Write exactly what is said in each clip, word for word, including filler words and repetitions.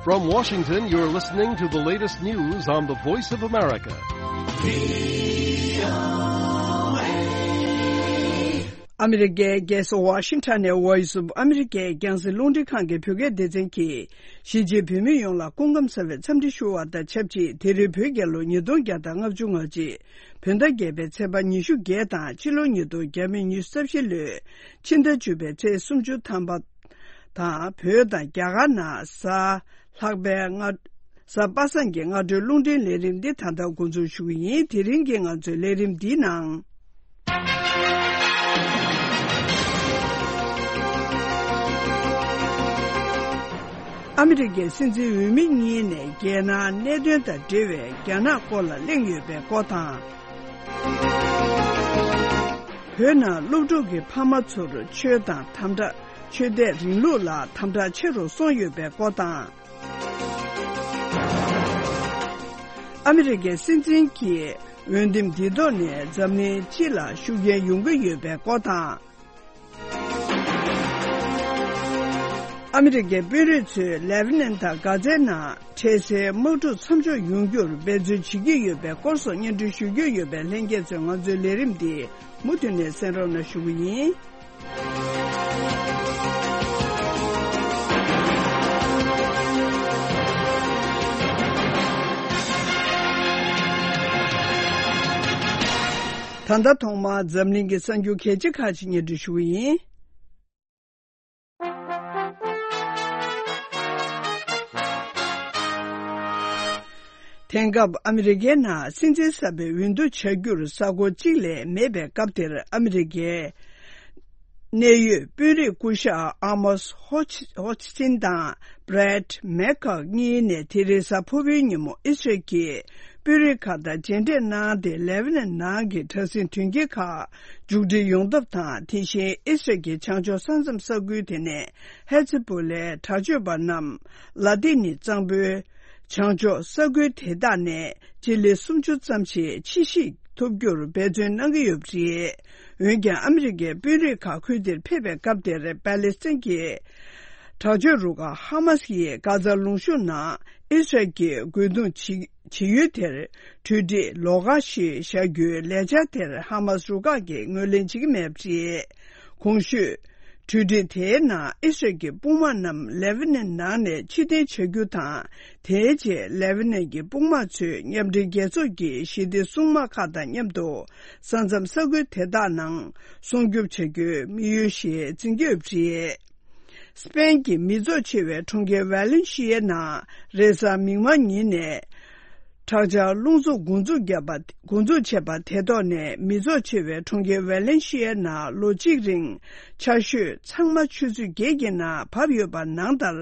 From Washington, you're listening to the latest news on the Voice of America. ཨ་མི་རི་ཀའི་རྒྱལ་ས་ཝ་ཤིང་ཊོན་ནས་Voice of America རྒྱང་སྲིང་རླུང་འཕྲིན་ཁང་གི་བོད་སྐད་སྡེ་ཚན་གྱིས། གཞིས་བྱེས་བོད་མི་ཡོངས་ལ་སྐུ་ཁམས་བཟང་བའི་འཚམས་འདྲི་ཞུ་བ་དང་ཆབས་ཅིག་དེ་རིང་བོད་རྒྱལ་ལོ་ཉིས་སྟོང་བརྒྱ་དང་ལྔ་བཅུ་ང་གཅིག་བོད་ཟླ་བརྒྱད་པའི་ཚེས་པ་ཉི་ཤུ་བརྒྱད་དང་ཕྱི་ལོ་ཉིས་སྟོང་ཉི་ཤུ་རྩ་བཞི་ལོའི་ཕྱི་ཟླ་བཅུ་པའི་ཚེས་སུམ་ཅུ་ཐམ་པ་དང་། བོད་དང་རྒྱ་གར་ནང་གཟའ་ལྷག་པའི་སྔ་གཟའ་པ་སངས་ཀྱི་སྔ་དྲོའི་རླུང་འཕྲིན་ལས་རིམ་འདི་ད་ལྟ་འགོ་འཛུགས་ཞུ་གི་ཡིན། དེ་རིང་གི་ང་ཚོའི་ལས་རིམ་འདིའི་ནང་། ཨ་མི་རི་ཀའི་སྲིད་འཛིན་འོས་མི་གཉིས་ནས་རྒྱལ་ནང་གནད་དོན་དང་འབྲེལ་བའི་རྒྱ་ནག་སྐོར་ལ་གླེང་ཡོད་པའི་སྐོར་དང་། བོད་ནང་སློབ་ཕྲུག་གི་ཕ་མ་ཚོར་ཆོས་དང་དམ་དྲག་ཆོས་དད་རིང་ལུགས་ལ་དམ་དྲག་ཆེ་རུ་སོང་ཡོད་པའི་སྐོར་དང་། ཨ་མི་རི་ཀའི་སྲིད་འཛིན་གྱི་འོས་འདེམས་འདི་ཐོག་ནས་འཛམ་གླིང་སྤྱི་ལ་ཤུགས་རྐྱེན་ཡོང་གི་ཡོད་པའི་སྐོར་དང་། ཨ་མི་རི་ཀའི་དཔོན་རིགས་ཚོས་ལེ་བྷ་ནན་དང་གྷ་ཛའི་ནང་འཕྲལ་སེལ་དམག་འཁྲུག་མཚམས་འཇོག་ཡོང་རྒྱུར་འབད་བརྩོན་བྱེད་ཀྱི་ཡོད་པའི་སྐོར་སོགས་སྙན་སྒྲོན་ཞུ་རྒྱུ་ཡོད་པས། ལྷན་རྒྱས་ཚོས་ང་ཚོའི་ལས་རིམ་འདི་མུ་མཐུད་ནས་གསན་རོགས་གནང་ཞུ་གི་ཡིན། ད་ལྟ་ཐོག་མར་འཛམ་གླིང་གི་གསར་འགྱུར་གལ་ཆེ་ཁག་ཅིག་སྙན་སྒྲོན་ཞུ་གི་ཡིན། དེང་སྐབས་ཨ་མི་རི་ཀའི་ནང་སྲིད་འཛིན་གསར་པའི་འོས་བསྡུ་བྱ་རྒྱུར་གཟའ་འཁོར་གཅིག་ལས་མེད་པའི་སྐབས་དེར། ཨ་མི་རི་ཀའི་གནད་ཡོད་དཔོན་རིགས་སྐུ་ཞབས་ཨ་མོས་ཧོ་ཆི་ཧོ་ཆི་ཆིན་དང་བྷྲེད་མེ་ཁག་གཉིས་ནས་དེ་རིང་གཟའ་ཕུར་བུའི་ཉིན་མོ་ཨི་སི་རལ་གྱི་དཔོན་རིགས་ཁག་དང་མཇལ་འཕྲད་གནང་སྟེ། ལེ་བྷ་ནན་ནང་གི་དྲག་ཟིང་དོན་རྐྱེན་ཁག་མཇུག་སྒྲིལ་ཡོང་ཐབས་དང་། དེ་བཞིན་ཨི་སི་རལ་གྱི་བྱང་ཕྱོགས་ས་མཚམས་ས་ཁུལ་དེ་ནས་ཧེ་ཛི་བྷོ་ལའི་དྲག་སྤྱོད་པ་རྣམས་ལ་ཏིན་ནི་གཙང་པོའི་བྱང་ཕྱོགས་ས་ཁུལ་དེ་དག་ནས་སྤྱི་ལེ་སུམ་ཅུ་ཙམ་ཞིག་ཕྱིར་བཤིག་ཐུབ་རྒྱུར་འབད་བརྩོན་གནང་གི་ཡོད་པ་རེད། འོན་ཀྱང་ཨ་མི་རི་ཀའི་དཔོན་རིགས་ཁག་ཁུལ་དེར་ཕེབས་པའི་སྐབས་དེར། པ་ལེ་སི་ཐན་གྱི་དྲག་སྤྱོད་རུ་ཁག་ཧ་མ་སི་ཡིས་གྷ་ཛ་ལུང་གཤོང་ནང་ཨི་སི་རལ་གྱི་རྒོལ་རྡུང་བྱེད་བྱེད་ཡུལ་དེར་གྲོས་འགྲིག་ལོགས་ཀ་ཞིག་བཞག་རྒྱུའི་ལས་འཆར་དེར་ཧ་མ་སི་རུ་ཁག་གིས་ངོས་ལེན་བྱེད་ཀྱི་མེད་པ་རེད། གོང་ཞུས། གྲོས་འགྲིག་དེའི་ནང་ཨི་སི་རལ་གྱི་དཔུང་དམག་རྣམས་ལེ་བྷ་ནན་ནང་ནས་ཕྱིར་འཐེན་བྱ་རྒྱུ་དང་། དེའི་རྗེས་ལེ་བྷ་ནན་གྱི་དཔུང་དམག་ཚོས་མཉམ་འབྲེལ་རྒྱལ་ཚོགས་ཀྱི་ཞི་བདེ་སྲུང་དམག་ཁག་དང་མཉམ་དུ་ས་མཚམས་ས་ཁུལ་དེ་དག་ནང་སྲུང་སྐྱོབ་བྱ་རྒྱུའི་དམིགས་ཡུལ་ཞིག་འཛིན་གྱི་ཡོད་པ་རེད། སི་པེན་གྱི་མི་ཚོགས་ཆེ་བའི་གྲོང་ཁྱེར་ཝེ་ལེན་ཤི་ཡའི་ནང་རེས་གཟའ་མིག་དམར་ཉིན་ནས་དྲག་ཆར་རླུང་འཚུབ་འགོ་འཛུགས་བརྒྱབ་པ། འགོ་འཛུགས་བྱས་པ་དེ་ཐོག་ནས་མི་ཚོགས་ཆེ་བའི་གྲོང་ཁྱེར་ཝེ་ལེན་ཤི་ཡའི་ནང་ལོ་གཅིག་རིང་ཆར་ཞོད་ཚང་མ་ཆུ་ཚོད་བརྒྱད་ཀྱི་ནང་བབས་ཡོད་པ་ནང་ལྟར།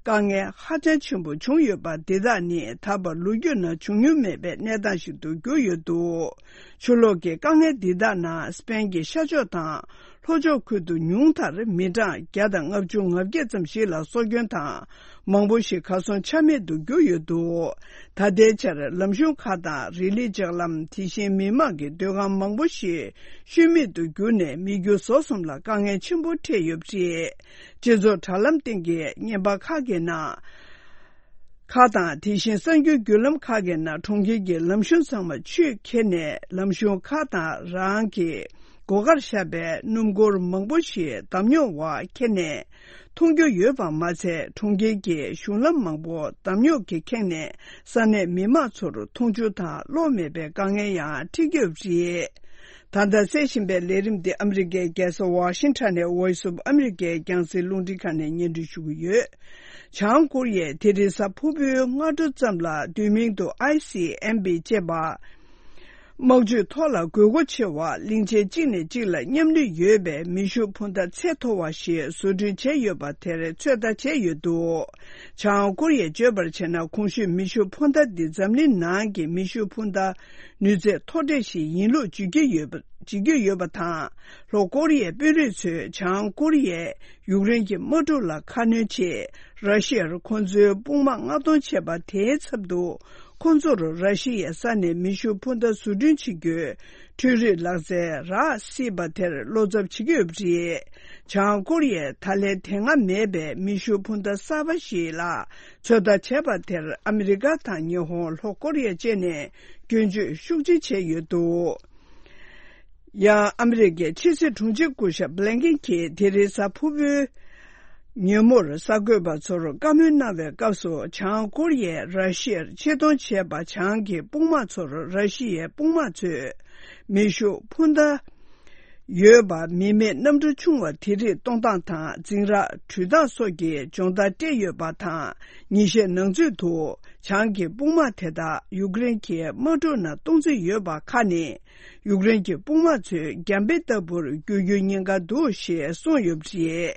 དཀའ་ངལ་ཧ་ཅང་ཆེན་པོ་བྱུང་ཡོད་པ་འདི་དག་ནི་ད་བར་ལོ་རྒྱུས་ནང་བྱུང་མྱོང་མེད་པའི་གནས་སྟངས་ཤིག་ཏུ་གྱུར་ཡོད་འདུག་ཆུ་ལོག་གི་དཀའ་ངལ་འདི་དག་ནང་སི་པེན་གྱི་ཤར་ཕྱོགས་དང་ལྷོ་ཕྱོགས་ཁུལ་དུ་ཉུང་མཐར་མི་གྲངས་བརྒྱ་དང་ལྔ་བཅུ་ང་བརྒྱད་ཙམ་ཞིག་ལ་སྲོག་སྐྱོན་དང་མང་པོ་ཞིག་གར་སོང་ཆ་མེད་དུ་གྱུར་ཡོད་འདུག་ད་ལྟའི་ཆར་ལམ་གཞུང་ཁག་དང་རི་ལི་ལྕགས་ལམ། དེ་བཞིན་མི་མང་གི་སྡོད་ཁང་མང་པོ་ཞིག་ཤུལ་མེད་དུ་གྱུར་ནས་མི་རྒྱུ་ཟོག་གསུམ་ལ་དཀའ་ངལ་ཆེན་པོ་འཕྲད་ཡོད་པ་རེད། སྤྱི་ཚོགས་དྲ་ལམ་སྟེང་གི་བརྙན་པར་ཁག་གི་ནང་། ཁག་དང་། དེ་བཞིན་གསར་འགྱུར་བརྒྱུད་ལམ་ཁག་གི་ནང་གྲོང་ཁྱེར་གྱི་ལམ་གཞུང་ཚང་མ་ཆུས་ཁྱེར་ནས། ལམ་གཞུང་ཁག་དང་རང་གི་སྒོ་ཁར་བཞག་པའི་སྣུམ་འཁོར་མང་པོ་ཞིག་འདམ་ཉོག་འོག་ཁྱེར་ནས་མཐོང་རྒྱུ་ཡོད་པ་མ་ཚད། གྲོང་ཁྱེར་གྱི་གཞུང་ལམ་མང་པོ་འདམ་ཉོག་གིས་ཁེངས་ནས་ས་གནས་མི་མང་ཚོར་འཐུང་ཆུ་དང་གློག་མེད་པའི་དཀའ་ངལ་ཡང་འཕྲད་ཀྱི་ཡོད་པ་རེད། ད་ལྟ་གསན་བཞིན་པའི་ལས་རིམ་འདི་ཨ་མི་རི་ཀའི་རྒྱལ་ས་ཝ་ཤིང་ཊོན་ནས་Voice of America རྒྱང་སྲིང་རླུང་འཕྲིན་ཁང་ནས་སྙན་སྒྲོན་ཞུ་གི་ཡོད། བྱང་ཀོ་རི་ཡས་དེ་རིང་གཟའ་ཕུར་བུའི་སྔ་དྲོ་ཙམ་ལ་བསྡུས་མིང་དུ་ཨའི་སི་ཨེམ་པི་ཅེས་པ། དམག་ཇུས་ཐོག་ལ་དགོས་མཁོ་ཆེ་བ། གླིང་ཆེན་གཅིག་ནས་གཅིག་ལ་མཉམ་ལུས་ཡོད་པའི་མེ་ཤུགས་འཕུར་མདའ་ཚད་མཐོ་བ་ཞིག་བཟོ་སྐྲུན་བྱས་ཡོད་པ་དེར་ཚོད་ལྟ་བྱས་ཡོད་འདུག་བྱང་ཀོ་རི་ཡས་བརྗོད་པར་བྱས་ན། གོང་ཞུས་མེ་ཤུགས་འཕུར་མདའ་འདི་འཛམ་གླིང་ནང་གི་མེ་ཤུགས་འཕུར་མདའ་ནུས་ཚད་མཐོ་གྲས་ཤིག་ཡིན་ལུགས་བརྗོད་ཀྱི་ཡོད་པ། བརྗོད་ཀྱི་ཡོད་པ་དང་། ལྷོ་ཀོ་རི་ཡའི་དཔོན་རིགས་ཚོས་བྱང་ཀོ་རི་ཡས་ཡུཀ་རེན་གྱི་དམག་འཁྲུག་ལ་ཁ་སྣོན་ཆེད་ར་ཤི་ཡར་ཁོ་ཚོའི་དཔུང་དམག་མངགས་གཏོང་བྱས་པ་དེའི་ཚབ་ཏུ། ཁོ་ཚོར་ར་ཤི་ཡའི་ས་ནས་མེ་ཤུགས་འཕུར་མདའ་བཟོ་སྐྲུན་བྱེད་རྒྱུའི་འཕྲུལ་རིག་ལག་རྩལ་རག་སྲིད་པ་དེར་བློ་འཚབ་བྱེད་ཀྱི་ཡོད་པ་རེད། བྱང་ཀོ་རི་ཡས་ད་ལན་དེ་སྔ་མེད་པའི་མེ་ཤུགས་འཕུར་མདའ་གསར་པ་ཞིག་ལ་ཚོད་ལྟ་བྱས་པ་དེར་ཨ་མི་རི་ཀ་དང་ཉི་ཧོང་། ལྷོ་ཀོ་རི་ཡ་བཅས་ནས་སྐྱོན་བརྗོད་ཤུགས་ཆེ་བྱས་ཡོད་འདུག་ཡང་ཨ་མི་རི་ཀའི་ཕྱི་སྲིད་དྲུང་ཆེ་སྐུ་ཞབས་བྷི་ལན་ཀིན་གྱིས་དེ་རིང་གཟའ་ཕུར་བུའི་ཉིན་མོར་གསར་འགོད་པ་ཚོར་བཀའ་མོལ་གནང་བའི་སྐབས་སུ། བྱང་ཀོ་རི་ཡས་ར་ཤི་ཡར་ཆེད་གཏོང་བྱས་པ། བྱང་གི་དཔུང་དམག་ཚོར་ར་ཤི་ཡའི་དཔུང་དམག་ཚོས་མེ་ཤུགས་འཕུར་མདའ་ཡོད་པ། མི་མེད་གནམ་གྲུ་ཆུང་བ་དེ་རིགས་གཏོང་སྟངས་དང་འཛིང་རགས་འགྲུལ་སྟངས་སོགས་ཀྱི་སྦྱོང་བརྡར་སྤྲད་ཡོད་པ་དང་། ཉིན་ཤས་ནང་ཚུད་དུ་བྱང་གི་དཔུང་དམག་དེ་དག་ཡུཀ་རེན་གྱི་དམག་འཁྲུག་ནང་གཏོང་རྩིས་ཡོད་པ་ཁག་ནི། ཡུཀ་རེན་གྱི་དཔུང་དམག་ཚོས་རྒྱང་འཕེན་ལྟ་བུར་འགྱུར་རྒྱུའི་ཉེན་ཁ་འདུག་ཞེས་གསུངས་ཡོད་པ་རེད།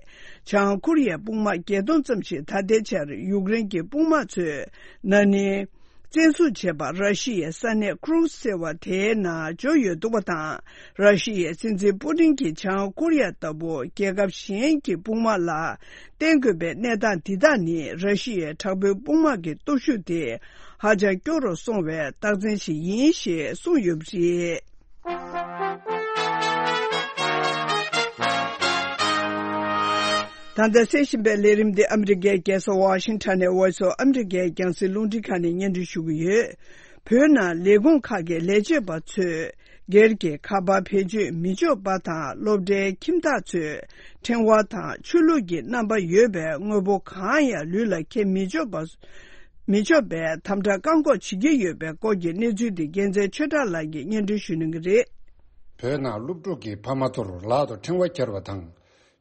བྱང་ཀོ་རི་ཡའི་དཔུང་དམག་བརྒྱད་སྟོང་ཙམ་ཞིག་ད་ལྟའི་ཆར་ཡུཀ་རེན་གྱི་དཔུང་དམག་ཚོས་ན་ནིང་བཙན་བཟུང་བྱས་པ་ར་ཤི་ཡའི་ས་གནས་ཁུ་རུ་ཟེར་བ་དེའི་ནང་འབྱོར་ཡོད་འདུག་པ་དང་། ར་ཤི་ཡའི་སྲིད་འཛིན་པུ་ཏིན་གྱིས་བྱང་ཀོ་རི་ཡ་ལྟ་བུ་རྒྱལ་ཁབ་གཞན་གྱི་དཔུང་དམག་ལ་བརྟེན་དགོས་པའི་གནས་སྟངས་འདི་དག་ནི་ར་ཤི་ཡའི་དྲག་པོའི་དཔུང་དམག་གི་སྟོབས་ཤུགས་དེ་ཧ་ཅང་སྐྱོ་རུ་སོང་བའི་རྟགས་མཚན་ཞིག་ཡིན་ཞེས་གསུངས་ཡོད་པ་རེད། ད་ལྟ་གསན་བཞིན་པའི་ལས་རིམ་འདི་ཨ་མི་རི་ཀའི་རྒྱལ་ས་ཝ་ཤིང་ཊོན་ནས་Voice of America རྒྱང་སྲིང་རླུང་འཕྲིན་ཁང་ནས་སྙན་སྒྲོན་ཞུ་གི་ཡོད། བོད་ནང་ལས་ཁུངས་ཁག་གི་ལས་བྱེད་པ་ཚོས་སྒེར་གྱི་ཁ་པར་བེད་སྤྱོད་མི་ཆོག་པ་དང་། སློབ་གྲྭའི་ཁྱིམ་བདག་ཚོས་ཕྲེང་བ་དང་ཆོས་ལུགས་ཀྱི་རྣམ་པ་ཡོད་པའི་དངོས་པོ་གང་ཡང་ལུས་ལ་འཁྱེར་མི་ཆོག་པ། མི་ཆོག་པའི་དམ་དྲག་བཀག་འགོག་བྱེད་ཀྱི་ཡོད་པའི་སྐོར་གྱི་གནས་ཚུལ་འདི་རྒྱལ་མཚན་ཆོས་གྲགས་ལགས་ཀྱིས་སྙན་སྒྲོན་ཞུ་གནང་གི་རེད། བོད་ནང་སློབ་ཕྲུག་གི་ཕ་མ་ཚོར་ལག་ཏུ་ཕྲེང་བ་འཁྱེར་བ་དང་།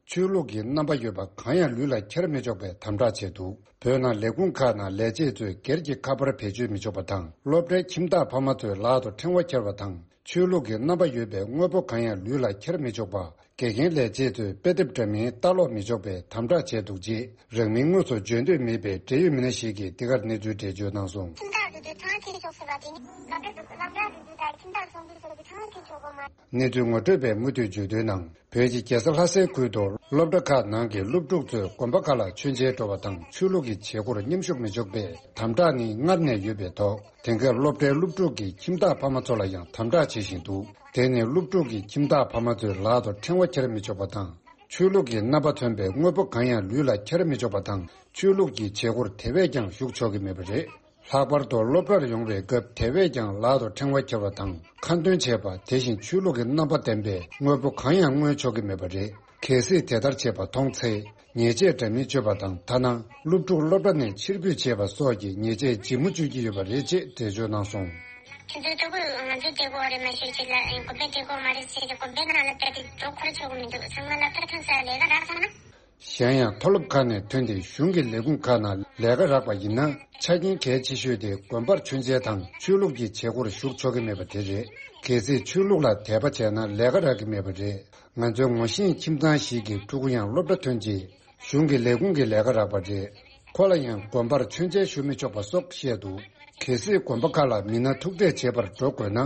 ཆོས་ལུགས་ཀྱི་རྣམ་པ་ཡོད་པ་གང་ཡང་ལུས་ལ་འཁྱེར་མི་ཆོག་པའི་དམ་དྲག་བྱས་འདུག་བོད་ནང་ལས་ཁུངས་ཁག་ནང་ལས་བྱེད་ཚོས་སྒེར་གྱི་ཁ་པར་བེད་སྤྱོད་མི་ཆོག་པ་དང་། སློབ་གྲྭའི་ཁྱིམ་བདག་ཕ་མ་ཚོས་ལག་ཏུ་ཕྲེང་བ་འཁྱེར་བ་དང་། ཆོས་ལུགས་ཀྱི་རྣམ་པ་ཡོད་པའི་དངོས་པོ་གང་ཡང་ལུས་ལ་འཁྱེར་མི་ཆོག་པ། དགེ་རྒན་ལས་བྱེད་ཚོས་དཔེ་དེབ་འདྲ་མིན་ལྟ་ཀློག་མི་ཆོག་པའི་དམ་དྲག་བྱས་འདུག་ཅེས། རང་མིང་དངོས་སུ་བརྗོད་འདོད་མེད་པའི་འབྲེལ་ཡོད་མི་སྣ་ཞིག་གིས་འདི་གར་གནས་ཚུལ་འགྲེལ་བརྗོད་གནང་སོང་། ཁྱིམ་བདག་དེ་ཚོས་ཕྲེང་བ་འཁྱེར་ཆོག་ཟེར་བ་དེ་ནི་སློབ་གྲྭ་འདུག་སློབ་གྲྭ་དེ་ཚོས་ད་ཁྱིམ་བདག་ཚོགས་འདུ་ཚོགས་ཀྱི་ཕྲེང་བ་འཁྱེར་ཆོག་གོ་མ། གནས་ཚུལ་ངོ་སྤྲོད་པས་མུ་མཐུད་བརྗོད་དོན་ནང་། བོད་ཀྱི་རྒྱལ་ས་ལྷ་སའི་ཁུལ་དུ་སློབ་གྲྭ་ཁག་ནང་གི་སློབ་ཕྲུག་ཚོས་དགོན་པ་ཁག་ལ་མཆོད་མཇལ་འགྲོ་བ་དང་། ཆོས་ལུགས་ཀྱི་བྱེད་སྒོར་མཉམ་ཞུགས་མི་ཆོག་པའི་དམ་དྲག་ནི་སྔར་ནས་ཡོད་པའི་ཐོག་དེང་སྐབས་སློབ་གྲྭའི་སློབ་ཕྲུག་གིས་ཁྱིམ་བདག་ཕ་མ་ཚོ་ལ་ཡང་དམ་དྲག་བྱེད་བཞིན་འདུག་དེ་ནི་སློབ་ཕྲུག་གིས་ཁྱིམ་བདག་ཕ་མ་ཚོའི་ལག་ཏུ་ཕྲེང་བ་འཁྱེར་མི་ཆོག་པ་དང་། ཆོས་ལུགས་ཀྱི་རྣམ་པ་མཚོན་པའི་དངོས་པོ་གང་ཡང་ལུས་ལ་འཁྱེར་མི་ཆོག་པ་དང་། ཆོས་ལུགས་ཀྱི་བྱེད་སྒོར་དེ་བས་ཀྱང་ཞུགས་ཆོག་གི་མེད་པ་རེད། ལྷག་པར་དུ་སློབ་གྲྭར་ཡོང་བའི་སྐབས་དེ་བས་ཀྱང་ལག་ཏུ་ཕྲེང་བ་འཁྱེར་བ་དང་། ཁ་འདོན་བྱེད་པ། དེ་བཞིན་ཆོས་ལུགས་ཀྱི་རྣམ་པ་ལྡན་པའི་དངོས་པོ་གང་ཡང་མངོན་ཆོག་གི་མེད་པ་རེད། གལ་སྲིད་དེ་ལྟར་བྱས་པ་མཐོང་ཚེ། ཉེས་ཆད་འདྲ་མིན་གཅོད་པ་དང་། ཐ་ན་སློབ་ཕྲུག་སློབ་གྲྭ་ནས་ཕྱིར་འབུད་བྱེད་པ་སོགས་ཀྱི་ཉེས་ཆད་ལྗིད་མོ་གཅོད་ཀྱི་ཡོད་པ་རེད་ཅེས་འགྲེལ་བརྗོད་གནང་སོང་། ཁྱེད་ཚོའི་ལྟ་བུ་ང་ཚོའི་བདེ་སྐྱིད་རེད་མ་ཤེས་ཅིག་ལ་དགོན་པའི་བདེ་སྐྱིད་མ་རེད་ཟེར་ཏེ་དགོན་པའི་ནང་ལ་བསྡད་དེ་འགྲོ་ཁོ་ར་ཆོག་གི་མི་འདུག་ཚང་མ་སློབ་གྲྭར་ཐོན་ས་ལས་ཀ་རག་སོང་ན། གཞན་ཡང་མཐོ་སློབ་ཁག་ནས་ཐོན་ཏེ་གཞུང་གི་ལས་ཁུངས་ཁག་ནང་ལས་ཀ་རག་པ་ཡིན་ན། ཆ་རྐྱེན་གལ་ཆེ་ཤོས་དེ་དགོན་པར་མཆོད་མཇལ་དང་ཆོས་ལུགས་ཀྱི་བྱེད་སྒོར་ཞུགས་ཆོག་གི་མེད་པ་དེ་རེད། གལ་སྲིད་ཆོས་ལུགས་ལ་དད་པ་བྱས་ན་ལས་ཀ་རག་གི་མེད་པ་རེད། ང་ཚོའི་ངོ་ཤེས་ཁྱིམ་ཚང་ཞིག་གི་ཕྲུ་གུ་ཡང་སློབ་གྲྭ་ཐོན་རྗེས་གཞུང་གི་ལས་ཁུངས་ཀྱི་ལས་ཀ་རག་པ་རེད། ཁོ་ལ་ཡང་དགོན་པར་མཆོད་མཇལ་ཞུ་མི་ཆོག་པ་སོགས་བཤད་འདུག་གལ་སྲིད་དགོན་པ་ཁག་ལ་མི་སྣ་ཐུག་འཕྲད་བྱེད་པར་འགྲོ་དགོས་ན།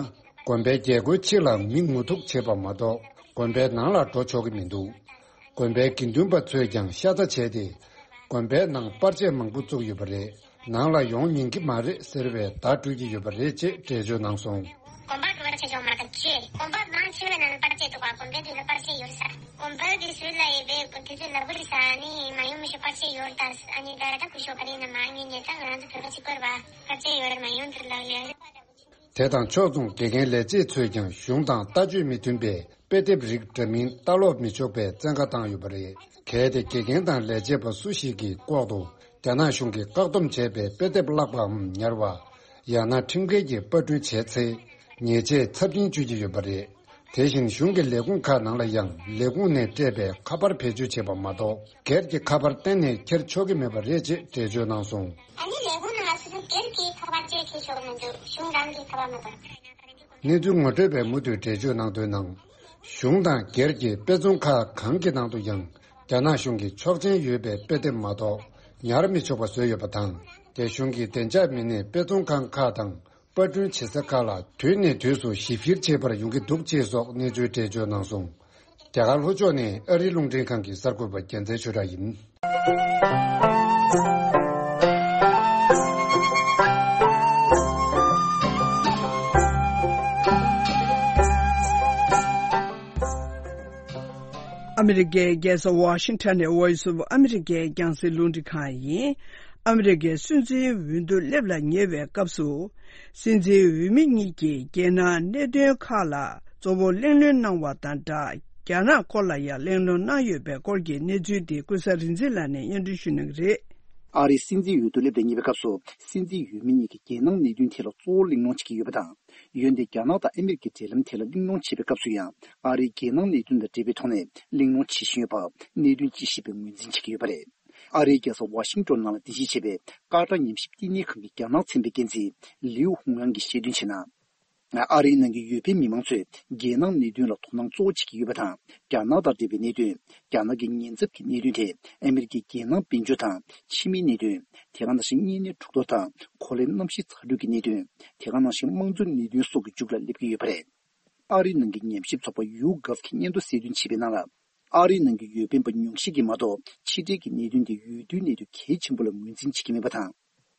དགོན་པའི་རྒྱལ་སྒོའི་ཕྱི་ལ་མི་ངོ་ཐུག་བྱེད་པ་མ་གཏོགས་དགོན་པའི་ནང་ལ་འགྲོ་ཆོག་གི་མི་འདུག་དགོན་པའི་དགེ་འདུན་པ་ཚོས་ཀྱང་ཤ་ཚ་བྱས་ཏེ། དགོན་པའི་ནང་པར་ཆས་མང་པོ་བཙུགས་ཡོད་པ་རེད། ནང་ལ་ཡོང་ཉན་གྱི་མ་རེད་ཟེར་བའི་བརྡ་སྤྲོད་ཀྱི་ཡོད་པ་རེད་ཅེས་འགྲེལ་བརྗོད་གནང་སོང་། དགོན་པར་པར་ཆས་ཅོག་མ་གཏོགས་ཅི། དགོན་པ་མང་ཆེ་བའི་ནང་ལ་པར་ཆས་འདུག་ག་དགོན་པའི་དུས་ལ་པར་ཆས་ཡོད་ས། དགོན་པ་གི་ཟུར་ལ་ཡོད་པའི་དུས་ཚོད་ལ་པར་ས་ནི་མ་ཡོང་མི་ཤོག་པར་ཆས་ཡོད་ད། ཨ་ནི་ད་ད་ཁུ་ཤོག་ག་རེ་ན་མ་ངེས་ཉེ་ད་ང་ཚོ་བོད་པ་ཅིག་དགོས་ར་པར་ཆས་ཡོད་ར་མ་ཡོང་དུར་ལག་ལེན། དེ་དང་ཕྱོགས་མཚུངས་དགེ་རྒན་ལས་བྱེད་ཚོས་ཀྱང་གཞུང་དང་ལྟ་སྤྱོད་མི་མཐུན་པའི་དཔེ་དེབ་རིགས་འདྲ་མིན་ལྟ་ཀློག་མི་ཆོག་པའི་བཙན་བཀའ་བཏང་ཡོད་པ་རེད། གལ་ཏེ་དགེ་རྒན་དང་ལས་བྱེད་པ་སུ་ཞིག་གིས་ལྐོག་ཏུ་རྒྱ་ནག་གཞུང་གིས་བཀག་སྡོམ་བྱས་པའི་དཔེ་དེབ་བཀླགས་པའམ་ཉར་བ། ཡང་ན་ཁྲིམས་འགལ་གྱི་པར་སྐྲུན་བྱས་ཚེ། ཉེས་ཆད་ཚབས་ཆེན་གཅོད་ཀྱི་ཡོད་པ་རེད། དེ་བཞིན་གཞུང་གི་ལས་ཁུངས་ཁག་ནང་ལ་ཡང་ལས་ཁུངས་ནས་སྤྲད་པའི་ཁ་པར་བེད་སྤྱོད་བྱེད་པ་མ་གཏོགས་སྒེར་གྱི་ཁ་པར་གཏན་ནས་འཁྱེར་ཆོག་གི་མེད་པ་རེད་ཅེས་འགྲེལ་བརྗོད་གནང་སོང་། ཨ་ནི་ལས་ཁུངས་ནང་ལ་སོ་སོ་སྒེར་གྱི་ཁ་པར་བཅས་འཁྱེར་ཆོག་གི་མི་འདུག་གཞུང་རང་གི་ཁ་པར་མ་གཏོགས། གནས་ཚུལ་ངོ་སྤྲོད་པས་མུ་མཐུད་འགྲེལ་བརྗོད་གནང་དོན་ནང་། གཞུང་དང་སྒེར་གྱི་དཔེ་ཚོང་ཁག་གང་གི་ནང་དུ་ཡང་རྒྱ་ནག་གཞུང་གི་ཆོག་མཆན་ཡོད་པའི་དཔེ་དེབ་མ་གཏོགས་ཉར་མི་ཆོག་པ་བཟོས་ཡོད་པ་དང་། རྒྱ་གཞུང་གི་བདེ་འཇགས་མི་སྣས་དཔེ་ཚོང་ཁང་ཁག་དང་། པར་སྐྲུན་བྱེད་ས་ཁག་ལ་དུས་ནས་དུས་སུ་ཞིབ་བཤེར་བྱེད་པར་ཡོང་གི་འདུག་ཅེས་སོགས་གནས་ཚུལ་འགྲེལ་བརྗོད་གནང་སོང་། རྒྱ་གར་ལྷོ་ཕྱོགས་ནས་ཨ་རིའི་རླུང་འཕྲིན་ཁང་གི་གསར་འགོད་པ་རྒྱལ་མཚན་ཆོས་གྲགས་ཡིན། ཨ་མི་རི་ཀའི་རྒྱལ་ས་ཝ་ཤིང་ཊོན་ནས་Voice of America་ཡི་རྒྱང་སྲིང་རླུང་འཕྲིན་ཁང་ཡིན། ཨ་མི་རི་ཀའི་སྲིད་འཛིན་འོས་བསྡུ་སླེབས་ལ་ཉེ་བའི་སྐབས་སུ། སྲིད་འཛིན་འོས་མི་གཉིས་ཀྱིས་རྒྱལ་ནང་གནད་དོན་ཁག་ལ་གཙོ་བོ་གླེང་སློང་གནང་བ་དང་སྦྲགས། རྒྱ་ནག་སྐོར་ལ་ཡང་གླེང་སློང་གནང་ཡོད་པའི་སྐོར་གྱི་གནས་ཚུལ་དེ་ཀུན་བཟང་རིག་འཛིན་ལགས་ནས་སྙན་སྒྲོན་ཞུ་གནང་གི་རེད། ཨ་རིའི་སྲིད་འཛིན་འོས་བསྡུ་སླེབས་ལ་ཉེ་བའི་སྐབས་སུ། སྲིད་འཛིན་འོས་མི་གཉིས་ཀྱིས་རྒྱལ་ནང་གནད་དོན་ཐད་ལ་གཙོ་བོ་གླེང་སློང་བྱེད་ཀྱི་ཡོད་པ་དང་། འོན་ཏེ་རྒྱ་ནག་དང་ཨ་མི་རི་ཀའི་འབྲེལ་ལམ་ཐད་ལ་གླེང་སློང་བྱེད་པའི་སྐབས་སུ་ཡང་། ཨ་རིའི་རྒྱལ་ནང་གནད་དོན་དང་འབྲེལ་བའི་ཐོག་ནས་གླེང་སློང་བྱེད་བཞིན་ཡོད་པ་གནད་དོན་དཔྱད་ཞིབ་པས་ངོས་འཛིན་བྱེད་ཀྱི་ཡོད་པ་རེད། ཨ་རིའི་རྒྱལ་ས་ཝ་ཤིང་ཏོན་ནང་ལ་གདན་ཞུ་བྱས་པའི་ཀ་ཏར་ཉམས་ཞིབ་བསྟི་གནས་ཁང་གི་རྒྱ་ནག་ཚན་པའི་འགན་འཛིན་ལིའུ་ཧུང་ཝང་གིས་བཤད་དོན་བྱས་ན། ཨ་རིའི་ནང་གི་འོས་འཕེན་མི་མང་ཚོས་རྒྱལ་ནང་གནད་དོན་ལ་དོ་སྣང་གཙོ་བོ་བྱེད་ཀྱི་ཡོད་པ་དང་། རྒྱ་ནག་དང་འབྲེལ་བའི་གནད་དོན། རྒྱ་ནག་གི་ཉེན་ཚབས་ཀྱི་གནད་དོན་དེ་ཨ་མི་རི་ཀའི་རྒྱལ་ནང་དཔལ་འབྱོར་དང་ཕྱི་མིའི་གནད་དོན། དེ་ག་ནང་བཞིན་གཉན་ནད་འཁྲུག་གཏོར་དང་གོ་ལའི་གནམ་གཤིས་ཚ་དྲོད་ཀྱི་གནད་དོན། དེ་ག་ནང་བཞིན་དམངས་གཙོའི་གནད་དོན་སོགས་ཀྱི་མཇུག་ལ་སླེབས་ཀྱི་ཡོད་པ་རེད། ཨ་རིའི་ནང་གི་ཉམས་ཞིབ་ཚོགས་པ་ཡུ་གྷབ་ཀྱིས་སྙན་ཐོ་གསལ་སྟོན་བྱས་པའི་ནང་ལ། ཨ་རིའི་ནང་གི་འོས་འཕེན་པ་ཉུང་ཤས་ཀྱིས་མ་གཏོགས་ཕྱི་འབྲེལ་གྱི་གནད་དོན་དེ་འོས་བསྡུའི་གནད་དོན་གལ་ཆེན་པོ་ལ་ངོས་འཛིན་བྱེད་ཀྱི་མེད་པ་དང་།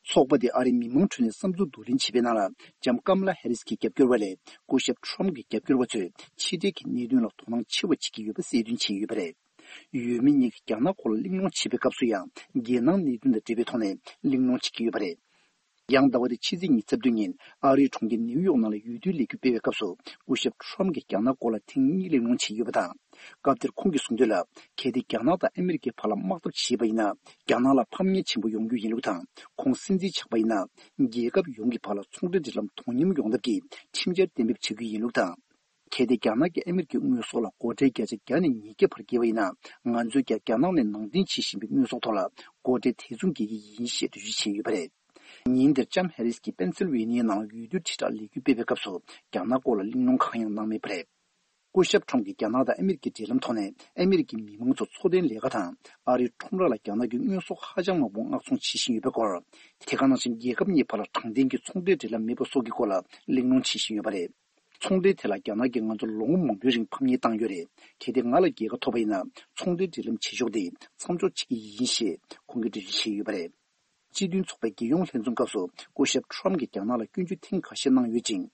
ཚོགས་པ་དེ་ཨ་རིའི་མི་མང་ཁྲོད་ནས་བསམ་ཚུལ་བསྡུ་ལེན་བྱས་པའི་ནང་ལ། ལྕམ་ཀམ་ལ་ཧེ་རིས་ཀྱི་རྒྱབ་སྐྱོར་བ་ལས་སྐུ་ཞབས་ཁྲོམ་གྱི་རྒྱབ་སྐྱོར་བ་ཚོས་ཕྱི་འབྲེལ་གྱི་གནད་དོན་ལ་དོ་སྣང་ཆེ་བ་བྱེད་ཀྱི་ཡོད་པ་གསལ་སྟོན་བྱས་ཡོད་པ་རེད། འོས་མི་གཉིས་ཀྱིས་རྒྱ་ནག་སྐོར་ལ་གླེང་སློང་བྱེད་པའི་སྐབས་སུ་ཡང་། རྒྱལ་ནང་གནད་དོན་དང་འབྲེལ་བའི་ཐོག་ནས་གླེང་སློང་བྱེད་ཀྱི་ཡོད་པ་རེད། ཡང་ཟླ་བ་འདིའི་ཕྱི་ཚེས་ཉི་ཤུ་རྩ་བདུན་ཉིན་ཨ་རིའི་གྲོང་ཁྱེར་ནེའུ་ཡོག་ནང་ལ་འོས་བསྡུའི་ལས་འགུལ་སྤེལ་བའི་སྐབས་སུ། སྐུ་ཞབས་ཁྲོམ་གྱིས་རྒྱ་ནག་སྐོར་ལ་ཐེངས་གཉིས་གླེང་སློང་བྱས་ཡོད་པ་དང་། སྐབས་དེར་ཁོང་གིས་གསུངས་དོན་ལ། གལ་ཏེ་རྒྱ་ནག་དང་ཨ་མི་རི་ཀའི་བར་ལ་དམག་འཐབ་བྱས་པ་ཡིན་ན། རྒྱ་ནག་ལ་ཕམ་ཉེས་ཆེན་པོ་ཡོང་རྒྱུ་ཡིན་ལུགས་དང་། ཁོང་སྲིད་འཛིན་ཆགས་པ་ཡིན་ན། རྒྱལ་ཁབ་ཡོངས་ཀྱི་བར་ལ་ཚོང་འབྲེལ་འབྲེལ་ལམ་དོ་མཉམ་ཡོང་ཐབས་ཀྱི་ཁྲིམས་འཆར་གཏན་འབེབས་བྱ་རྒྱུ་ཡིན་ལུགས་དང་། གལ་ཏེ་རྒྱ་ནག་གིས་ཨ་མི་རི་ཀའི་དངོས་ཟོག་ལ་སྒོ་ཁྲལ་བརྒྱ་ཆ་བརྒྱ་ནས་ཉིས་བརྒྱ་བར་བཀལ་བ་ཡིན་ན། ང་ཚོས་ཀྱང་རྒྱ་ནག་ནས་ནང་འདྲེན་བྱེད་བཞིན་པའི་དངོས་ཟོག་ཐོག་ལ་སྒོ་ཁྲལ་དེ་མཚུངས་འགེལ་གྱི་ཡིན་ཞེས་འགྲེལ་བརྗོད་བྱས་ཡོད་པ་རེད། ཉིན་དེར་ལྕམ་ཧེ་རིས་ཀྱིས་པེན་སིལ་ཝེ་ནི་ཡའི་ནང་ལ་འོས་བསྡུ་དྲིལ་བསྒྲགས་ལས་འགུལ་སྤེལ་བའི་སྐབས་སུ། རྒྱ་ནག་སྐོར་ལ་གླེང་སློང་གང་ཡང་གནང་མེད་པ་རེད། སྐུ་ཞབས་ཁྲོམ་གྱིས་རྒྱ་ནག་དང་ཨ་མི་རི་ཀའི་འབྲེལ་ལམ་ཐོག་ནས་ཨ་མི་རི་ཀའི་མི་མང་ཚོ་འཚོ་རྟེན་ལས་ཀ་དང་། ཨ་རིའི་ཁྲོམ་ར་ལ་རྒྱ་ནག་གི་དངོས་ཟོག་ཧ་ཅང་མང་པོ་མངགས་ཚོང་བྱེད་བཞིན་ཡོད་པའི་སྐོར། དེ་ག་ནང་བཞིན་རྒྱལ་ཁབ་གཉིས་བར་ལ་དྲང་བདེན་གྱི་ཚོང་འབྲེལ་འབྲེལ་ལམ་མེད་པ་སོགས་ཀྱི་སྐོར་ལ་གླེང་སློང་བྱེད་བཞིན་ཡོད་པ་རེད། ཚོང་འབྲེལ་ཐད་ལ་རྒྱ་ནག་གིས་ང་ཚོར་ལོ་ངོ་མང་པོའི་རིང་ཕམ་ཉེས་བཏང་ཡོད་རེད། གལ་ཏེ་ང་ལ་རྒྱལ་ཁ་ཐོབ་པ་ཡིན་ན། ཚོང་འབྲེལ་འབྲེལ་ལམ་བྱེད་ཕྱོགས་དེ་མཚམས་འཇོག་བྱེད་ཀྱི་ཡིན་ཞེས་ཁོང་གིས་འགྲེལ་བརྗོད་བྱས་ཡོད་པ་རེད། སྤྱི་མཐུན་ཚོགས་པའི་རྒྱལ་ཡོངས་ལྷན་འཛོམས་སྐབས་སུ་སྐུ་ཞབས་ཁྲོམ་གྱིས་རྒྱ་ནག་ལ་སྐྱོན་བརྗོད་ཐེངས་ཁ་ཤས་གནང་ཡོད་ཅིང་།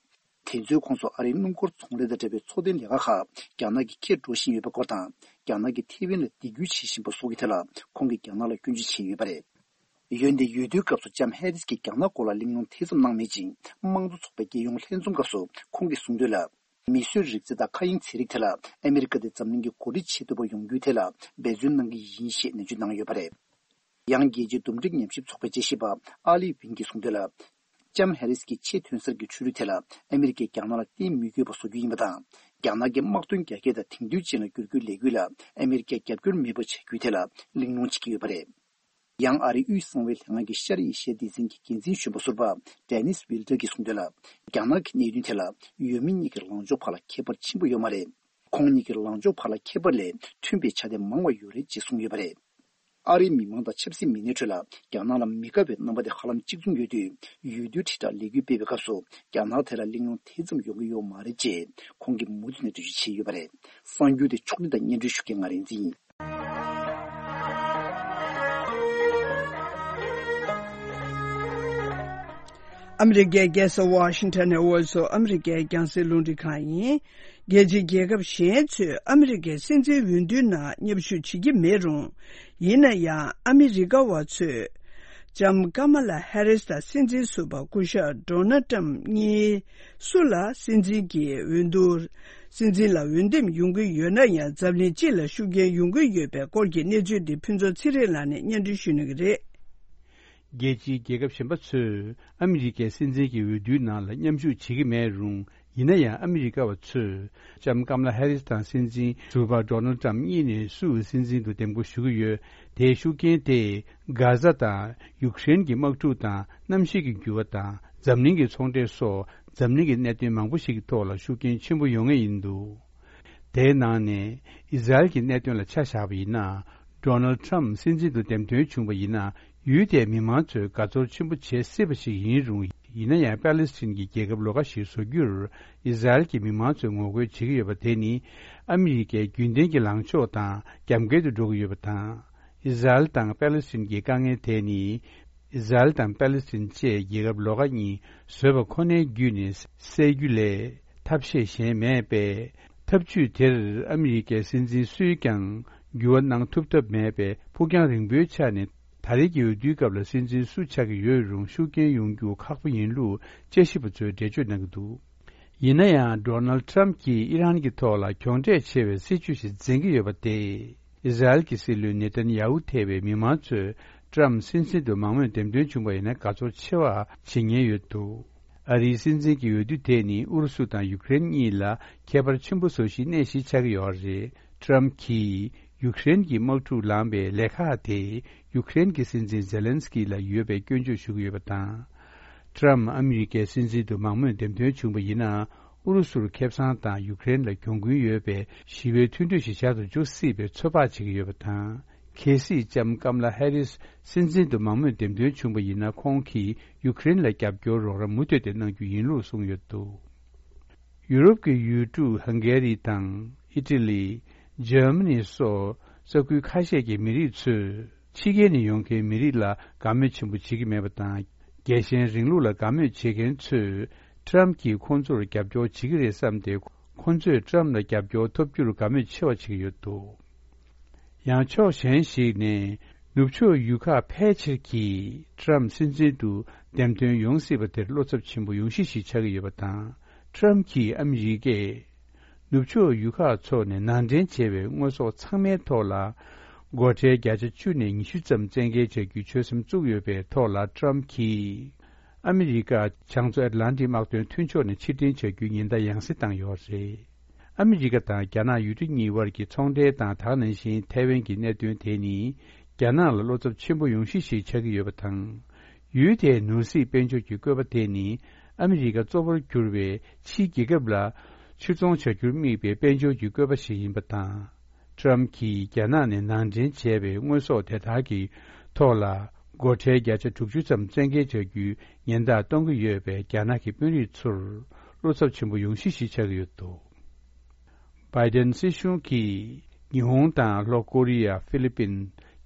དེ་ཚོའི་ཁོངས་སུ་ཨ་རིའི་སྣུམ་འཁོར་ཚོང་ལས་དང་འབྲེལ་བའི་འཚོ་རྟེན་ལས་ཀ་ཁག་རྒྱ་ནག་གིས་ཁྱེར་འགྲོ་བཞིན་ཡོད་པའི་སྐོར་དང་། རྒྱ་ནག་གིས་ཐེ་ཝན་ལ་སྡིགས་སྐུལ་བྱེད་བཞིན་པ་སོགས་ཀྱི་ཐད་ལ་ཁོང་གིས་རྒྱ་ནག་ལ་སྐྱོན་བརྗོད་བྱས་ཡོད་པ་རེད། འོན་ཏེ་འོས་བསྡུའི་སྐབས་སུ་ལྕམ་ཧེ་རིས་ཀྱིས་རྒྱ་ནག་སྐོར་ལ་གླེང་སློང་དེ་ཙམ་གནང་མེད་ཅིང་། དམངས་གཙོ་ཚོགས་པའི་རྒྱལ་ཡོངས་ལྷན་འཛོམས་སྐབས་སུ་ཁོང་གིས་གསུངས་དོན་ལ། མིས་བཟོས་རིག་རྩལ་དང་མཁའ་དབྱིངས་ཚན་རིག་ཐད་ལ་ཨ་མི་རི་ཀ་དེ་འཛམ་གླིང་གི་འགོ་ཁྲིད་བྱེད་ཐུབ་པ་ཡོང་རྒྱུའི་ཐད་ལ་འབད་བརྩོན་གནང་གི་ཡིན་ཞེས་ནན་བརྗོད་གནང་ཡོད་པ་རེད། ཡང་རྒྱལ་སྤྱིའི་འདུམ་འགྲིག་ཉམས་ཞིབ་ཚོགས་པའི་དཔྱད་ཞིབ་པ་ཨ་ལི་ཝིན་གྱིས་གསུངས་དོན་ལ། ལྕམ་ཧེ་རིས་ཀྱིས་ཆེས་ཐོན་གསར་གྱི་ཆོས་ལུགས་ཐད་ལ་ཨ་མི་རི་ཀས་རྒྱ་ནག་ལ་བརྟེན་མི་དགོས་པ་བཟོ་རྒྱུ་ཡིན་པ་དང་། རྒྱ་ནག་གི་དམག་དོན་རྒྱ་སྐྱེད་དང་དེང་དུས་ཅན་ལ་བསྒྱུར་རྒྱུའི་ལས་འགུལ་ལ་ཨ་མི་རི་ཀས་རྒྱབ་སྐྱོར་མེད་པ་བྱ་རྒྱུའི་ཐད་ལ་གླེང་སློང་བྱེད་ཀྱི་ཡོད་པ་རེད། ཡང་ཨ་རིའི་དབུས་གསང་བའི་ལྷན་ཁང་གི་ཤར་ཨེ་ཤི་ཡའི་སྡེ་ཚན་གྱི་འགན་འཛིན་གཞོན་པ་ཟུར་པ་ཌེ་ནིས་ཝིལ་ཏར་གྱིས་གསུངས་དོན་ལ། རྒྱ་ནག་གི་གནད་དོན་ཐད་ལ་འོས་མི་གཉིས་ཀྱི་ལངས་ཕྱོགས་བར་ལ་ཁྱད་པར་ཆེན་པོ་ཡོད་མ་རེད། ཁོང་གཉིས་ཀྱི་ལངས་ཕྱོགས་བར་ལ་ཁྱད་པར་ལས་མཐུན་པའི་ཆ་དེ་མང་བ་ཡོད་རེད་ཅེས་གསུངས་ཡོད་པ་རེད། ཨ་རིའི་མི་མང་དང་ཆབ་སྲིད་མི་སྣའི་ཁྲོད་ལ་རྒྱ་ནག་ལ་མི་དགའ་བའི་རྣམ་པ་དེ་ཧ་ལམ་གཅིག་མཚུངས་ཡོད་དུས། འོས་བསྡུའི་དྲིལ་བསྒྲགས་ལས་འགུལ་སྤེལ་བའི་སྐབས་སུ་རྒྱ་ནག་དེ་ལ་གླེང་སློང་དེ་ཙམ་ཡོང་གི་ཡོད་མ་རེད་ཅེས་ཁོང་གིས་མུ་མཐུད་ནས་འགྲེལ་བརྗོད་བྱས་ཡོད་པ་རེད། གསར་འགྱུར་དེ་ཕྱོགས་སྒྲིག་དང་སྙན་སྒྲོན་ཞུ་མཁན་ང་རིག་འཛིན་ཡིན། ཨ་མི་རི་ཀའི་རྒྱལ་ས་ཝ་ཤིང་ཊོན་ནས་Voice of America་རྒྱང་སྲིང་རླུང་འཕྲིན་ཁང་ཡིན། རྒྱལ་སྤྱིའི་རྒྱལ་ཁབ་གཞན་ཚོས་ཨ་མི་རི་ཀའི་སྲིད་འཛིན་འོས་བསྡུའི་ནང་མཉམ་ཞུགས་བྱེད་ཀྱི་མེད་རུང་། ཡིན་ན་ཡང་ཨ་མི་རི་ཀ་བ་ཚོས་ལྕམ་ཀ་མ་ལ་ཧེ་རིས་དང་སྲིད་འཛིན་ཟུར་པ་སྐུ་ཞབས་ཌོ་ནལ་ཊམ་གཉིས་སུ་ལ་སྲིད་འཛིན་གྱི་འོས་བསྡུ། སྲིད་འཛིན་ལ་འོས་འདེམས་ཡོང་གི་ཡོད་ན་ཡང་། འཛམ་གླིང་སྤྱི་ལ་ཤུགས་རྐྱེན་ཡོང་གི་ཡོད་པའི་སྐོར་གྱི་གནས་ཚུལ་འདི་ཕུན་ཚོགས་ཚེ་རིང་ལགས་ནས་སྙན་སྒྲོན་ཞུ་གནང་གི་རེད། རྒྱལ་སྤྱིའི་རྒྱལ་ཁབ་གཞན་པ་ཚོས་ཨ་མི་རི་ཀའི་སྲིད་འཛིན་གྱི་འོས་བསྡུའི་ནང་ལ་མཉམ་ཞུགས་བྱེད་ཀྱི་མེད་རུང་། ཡིན་ན་ཡང་ཨ་མི་རི་ཀ་བ་ཚོས་ལྕམ་ཀམ་ལ་ཧེ་རིས་དང་སྲིད་འཛིན་ཟུར་པ་ཌོ་ནལ་ཊམ་གཉིས་ནས་སུ་སྲིད་འཛིན་དུ་འདེམས་བསྐོ་ཞུ་གི་ཡོད། དེའི་ཤུགས་རྐྱེན་དེས་གྷ་ཟ་དང་ཡུཀ་རེན་གྱི་དམག་འཁྲུག་དང་གནམ་གཤིས་ཀྱི་འགྱུར་བ་དང་འཛམ་གླིང་གི་ཚོང་འབྲེལ་སོགས་འཛམ་གླིང་གི་གནད་དོན་མང་པོ་ཞིག་གི་ཐོག་ལ་ཤུགས་རྐྱེན་ཆེན་པོ་ཡོང་ངེས་ཡིན་འདུག་དེའི་ནང་ནས་ཨི་ཟ་རེལ་གྱི་གནད་དོན་ལ་ཆ་བཞག་པ་ཡིན་ན། ཌོ་ནལ་ཊམ་སྲིད་འཛིན་དུ་འདེམས་ཐོན་བྱུང་བ་ཡིན་ན། ཡུལ་དེའི་མི་མང་ཚོས་དགའ་ཚོར་ཆེན་པོ་བྱེད་སྲིད་པ་ཞིག་ཡིན་རུང་། ཡིན་ན་ཡང་པེ་ལེ་སི་ཐན་གྱི་རྒྱལ་ཁབ་ལོགས་ཀ་ཞིག་བཟོ་རྒྱུར་ཨི་ཟ་རེལ་གྱི་མི་མང་ཚོས་ངོ་རྒོལ་བྱེད་ཀྱི་ཡོད་པ་དེ་ནི། ཨ་མི་རི་ཀའི་རྒྱུན་ལྡན་གྱི་ལངས་ཕྱོགས་དང་རྒྱབ་འགལ་དུ་འགྲོ་གི་ཡོད་པ་དང་། ཨི་ཟ་རེལ་དང་པེ་ལེ་སི་ཐན་གྱི་དཀའ་ངལ་དེ་ནི། ཨི་ཟ་རེལ་དང་པེ་ལེ་སི་ཐན་བཅས་རྒྱལ་ཁབ་ལོགས་ཀ་གཉིས་བཟོས་པ་ཁོ་ནའི་བརྒྱུད་ནས་སེལ་རྒྱུ་ལས་ཐབས་ཤེས་གཞན་མེད་པས། ཐབས་ཇུས་དེར་ཨ་མི་རི་ཀའི་སྲིད་འཛིན་སུས་ཀྱང་འགྱུར་བ་གནང་ཐུབ་ཐབས་མེད་པས། ཕུགས་རྒྱང་རིང་པོའི་ཆ་ནས་ད་རེས་ཀྱི་འོས་བསྡུའི་སྐབས་ལ་སྲིད་འཛིན་སུ་ཆགས་ཀྱི་ཡོད་རུང་ཤུགས་རྐྱེན་ཡོང་རྒྱུ་ཁག་པོ་ཡིན་ལུགས་དཔྱད་ཞིབ་པ་ཚོས་འགྲེལ་བརྗོད་གནང་གི་འདུག་ཡིན་ན་ཡང་ཌོ་ནལ་ཊམ་གྱིས་ཨི་རན་གྱི་ཐོག་ལ་གྱོང་འབྲས་ཆེ་བའི་སྲིད་ཇུས་ཤིག་འཛིན་གྱི་ཡོད་པ་དེས། ཨི་ཟ་རེལ་གྱི་སྲིད་བློན་ནེ་ཐན་ཡ་ཧུ་ཐེ་བའི་མི་མང་ཚོས་ཊམ་སྲིད་འཛིན་དུ་མང་མོས་འདེམས་ཐོན་བྱུང་བ་ཡིན་ན་དགའ་ཚོར་ཆེ་བ་བྱེད་ཉེན་ཡོད་འདུག་ཨ་རིའི་སྲིད་འཛིན་གྱི་འོས་བསྡུ་དེ་ནི་ཨུ་རུ་སུ་དང་ཡུཀ་རེན་གཉིས་ལ་ཁྱད་པར་ཆེན་པོ་བཟོ་གཞིའི་གནས་ཤིག་ཆགས་ཀྱི་ཡོད་རེད། ཊམ་གྱིས་ཡུཀ་རེན་གྱི་དམག་འཁྲུག་ལངས་པའི་ལས་ཁག་དེ་ཡུཀ་རེན་གྱི་སྲིད་འཛིན་ཛེ་ལན་སི་ཀི་ལ་ཡོད་པའི་སྐྱོན་བརྗོད་ཞུ་གི་ཡོད་པ་དང་། ཊམ་ཨ་མི་རི་ཀའི་སྲིད་འཛིན་དུ་མང་མོས་འདེམས་ཐོན་བྱུང་བ་ཡིན་ན། ཨུ་རུ་སུར་ཁེ་བཟང་དང་ཡུཀ་རེན་ལ་གྱོང་གུན་ཡོད་པའི་ཞི་བའི་མཐུན་གྲོས་ཤིག་བཞག་ཏུ་འཇུག་སྲིད་པའི་ཚོད་དཔག་བྱེད་ཀྱི་ཡོད་པ་དང་། གལ་སྲིད་ལྕམ་ཀམ་ལ་ཧེ་རིས་སྲིད་འཛིན་དུ་མང་མོས་འདེམས་ཐོན་བྱུང་བ་ཡིན་ན། ཁོང་གིས་ཡུཀ་རེན་ལ་རྒྱབ་སྐྱོར་རོགས་རམ་མུ་མཐུད་དེ་གནང་རྒྱུ་ཡིན་ལུགས་གསུངས་ཡོད་འདུག་ཡུ་རོབ་ཀྱི་ཡུལ་གྲུ་ཧང་གེ་རི་དང་ཨི་ཊ་ལི། འཇར་མ་ནི་སོགས་ས་ཁུལ་ཁ་ཤས་ཀྱི་མི་རིགས་ཚོས་ཕྱི་རྒྱལ་ནས་ཡོང་མཁན་མི་རིགས་ལ་དགའ་མོས་ཆེན་པོ་བྱེད་ཀྱི་མེད་པ་དང་། རྒྱལ་ཞེན་རིང་ལུགས་ལ་དགའ་མོས་བྱེད་མཁན་ཚོས་ཊམ་གྱིས་ཁོང་ཚོར་རྒྱབ་སྐྱོར་བྱེད་ཀྱི་རེད་བསམ་སྟེ། ཁོང་ཚོས་ཊམ་ལ་རྒྱབ་སྐྱོར་ཐོབ་རྒྱུར་དགའ་མོས་ཆེ་བ་བྱེད་ཀྱི་ཡོད་འདུག་ཡང་ཕྱོགས་གཞན་ཞིག་ནས། ནུབ་ཕྱོགས་ཡུལ་ཁག་ཕལ་ཆེར་གྱིས་ཊམ་སྲིད་འཛིན་དུ་འདེམས་ཐོན་ཡོང་སྲིད་པ་དེར་བློ་འཚབ་ཆེན་པོ་ཡོང་གཞི་ཞིག་ཆགས་ཀྱི་ཡོད་པ་དང་། ཊམ་གྱིས་ཨ་མི་རི་ཀས་ནུབ་ཕྱོགས་ཡུལ་ཁག་ཚོ་ནས་ནང་འདྲེན་བྱས་པའི་དངོས་ཟོག་ཚང་མའི་ཐོག་ལ་སྒོ་ཁྲལ་བརྒྱ་ཆ་བཅུ་ནས་ཉི་ཤུ་ཙམ་བཙན་འགེལ་བྱ་རྒྱུའི་ཆོད་སེམས་བཙུགས་ཡོད་པའི་ཐོག་ལ། ཊམ་གྱིས་ཨ་མི་རི་ཀ་བྱང་མཚོ་ཨེཊ་ལན་ཊིག་དམག་དོན་མཐུན་ཕྱོགས་ནས་ཕྱིར་འཐེན་བྱ་རྒྱུའི་ཉེན་བརྡ་ཡང་སེ་བཏང་ཡོད་རེད། ཨ་མི་རི་ཀ་དང་རྒྱ་ནག་ཡུལ་གྲུ་གཉིས་དབར་གྱི་ཚོང་འབྲེལ་དང་། ད་ག་ནང་བཞིན་ཐའེ་ཝན་གྱི་གནད་དོན་དེ་ནི་རྒྱ་ནག་ལ་བློ་འཚབ་ཆེན་པོ་ཡོང་གཞི་ཞིག་ཆགས་ཀྱི་ཡོད་པ་དང་། ཡུལ་དེའི་ནོར་སྲིད་དཔལ་འབྱོར་གྱི་བཀོད་པ་དེ་ནི་ཨ་མི་རི་ཀ་གཙོ་བོར་གྱུར་བའི་ཕྱིའི་རྒྱལ་ཁབ་ལ་ཕྱིར་ཚོང་བྱ་རྒྱུར་དམིགས་པའི་དཔལ་འབྱོར་གྱི་བཀོད་པ་ཞིག་ཡིན་པ་དང་། ཊམ་གྱིས་རྒྱ་ནག་ནས་ནང་འདྲེན་བྱས་པའི་དངོས་ཟོག་དེ་དག་གི་ཐོག་ལ་སྒོ་ཁྲལ་བརྒྱ་ཆ་དྲུག་ཅུ་ཙམ་བཙན་འགེལ་བྱ་རྒྱུའི་ཉེན་བརྡ་གཏོང་གི་ཡོད་པས། རྒྱ་ནག་གི་དཔོན་རིགས་ཚོར་བློ་འཚབ་ཆེན་པོ་ཡོང་གཞི་ཞིག་ཆགས་ཀྱི་ཡོད་འདུག་བྷའི་ཌེན་སྲིད་གཞུང་གིས་ཉི་ཧོང་དང་ལྷོ་ཀོ་རི་ཡ། ཧྥི་ལི་པིན།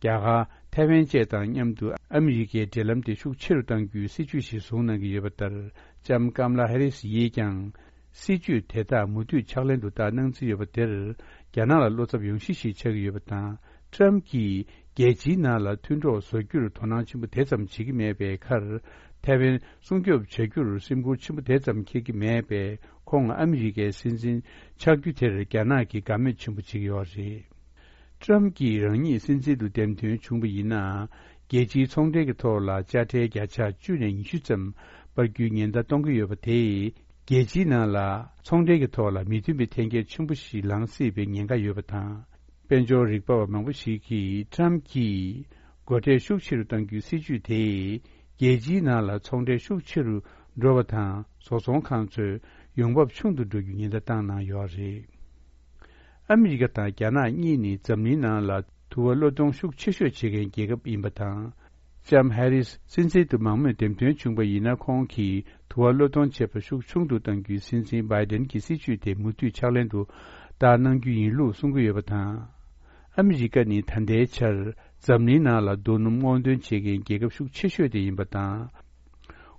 རྒྱ་གར། ཐའེ་ཝན་བཅས་དང་མཉམ་དུ་ཨ་མི་རི་ཀའི་འབྲེལ་ལམ་དེ་ཤུགས་ཆེ་རུ་གཏང་རྒྱུའི་སྲིད་ཇུས་ཤིག་བཟུང་གནང་གི་ཡོད་པ་ལྟར། ལྕམ་ཀམ་ལ་ཧེ་རིས་ཡིས་ཀྱང་སྲིད་ཇུས་དེ་དག་མུ་མཐུད་ཕྱག་ལེན་དུ་བསྟར་གནང་རྩིས་ཡོད་པ་དེར། རྒྱ་ནག་ལ་བློ་འཚབ་ཡོང་གཞི་ཞིག་ཆགས་ཀྱི་ཡོད་པ་དང་། ཊམ་གྱིས་རྒྱལ་སྤྱིའི་ནང་ལ་མཐུན་གྲོགས་བཟོ་རྒྱུར་དོ་སྣང་ཆེན་པོ་དེ་ཙམ་བྱེད་ཀྱི་མེད་པའི་ཁར། ཐའེ་ཝན་སྲུང་སྐྱོབ་བྱ་རྒྱུར་སེམས་ཁུར་ཆེན་པོ་དེ་ཙམ་འཁྱེར་གྱི་མེད་པས། ཁོང་ཨ་མི་རི་ཀའི་སྲིད་འཛིན་ཆགས་རྒྱུ་དེར་རྒྱ་ནག་གིས་དགའ་མོས་ཆེན་པོ་བྱེད་ཀྱི་ཡོད་རེད། ཊམ་གྱིས་རང་ཉིད་སྲིད་འཛིན་དུ་འདེམས་ཐོན་བྱུང་བ་ཡིན་ན། རྒྱལ་སྤྱིའི་ཚོང་འབྲེལ་གྱི་ཐོག་ལ་དཔྱ་ཁྲལ་བརྒྱ་ཆ་བཅུ་ནས་ཉི་ཤུ་ཙམ་སྤར་རྒྱུའི་ཉེན་བརྡ་གཏོང་གི་ཡོད་པ་དེས། རྒྱལ་སྤྱིའི་ནང་ལ་ཚོང་འབྲེལ་གྱི་ཐོག་ལ་མི་མཐུན་པའི་འཐེན་འཁྱེར་ཆེན་པོ་ཞིག་ལངས་སྲིད་པའི་ཉེན་ཁ་ཡོད་པ་དང་། དཔལ་འབྱོར་རིག་པ་བ་མང་པོ་ཞིག་གིས། ཊམ་གྱིས་སྒོ་ཁྲལ་ཤུགས་ཆེ་རུ་གཏང་རྒྱུའི་སྲིད་ཇུས་དེས། རྒྱལ་སྤྱིའི་ནང་ལ་ཚོང་འབྲེལ་ཤུགས་ཆེ་རུ་འགྲོ་བ་དང་། བཟོ་ཚོང་ཁང་ཚོའི་ཡོང་འབབ་ཆུང་དུ་འགྲོ་རྒྱུའི་ཉེན་བརྡ་བཏང་གནང་ཡོད་རེད། ཨ་མི་རི་ཀ་དང་རྒྱ་ནག་གཉིས་ནི་འཛམ་གླིང་ནང་ལ་དུ་བ་གློད་གཏོང་ཤུགས་ཆེ་ཤོས་བྱེད་མཁན་རྒྱལ་ཁབ་ཡིན་པ་དང་། ལྕམ་ཧེ་རིས་སྲིད་འཛིན་དུ་མང་མོས་འདེམས་ཐོན་བྱུང་བ་ཡིན་ན། ཁོང་གིས་དུ་བ་གློད་གཏོང་བྱེད་པ་ཤུགས་ཆུང་དུ་གཏང་རྒྱུའི་སྲིད་འཛིན་བྷའི་ཌེན་གྱི་སྲིད་ཇུས་དེ་མུ་མཐུད་ཕྱག་ལེན་དུ་བསྟར་གནང་རྒྱུ་ཡིན་ལུགས་གསུང་གི་ཡོད་པ་དང་། ཨ་མི་རི་ཀ་ནི་ད་ལྟའི་ཆར་འཛམ་གླིང་ནང་ལ་རྡོ་སྣུམ་སྔོག་འདོན་བྱེད་མཁན་རྒྱལ་ཁབ་ཤུགས་ཆེ་ཤོས་དེ་ཡིན་པ་དང་།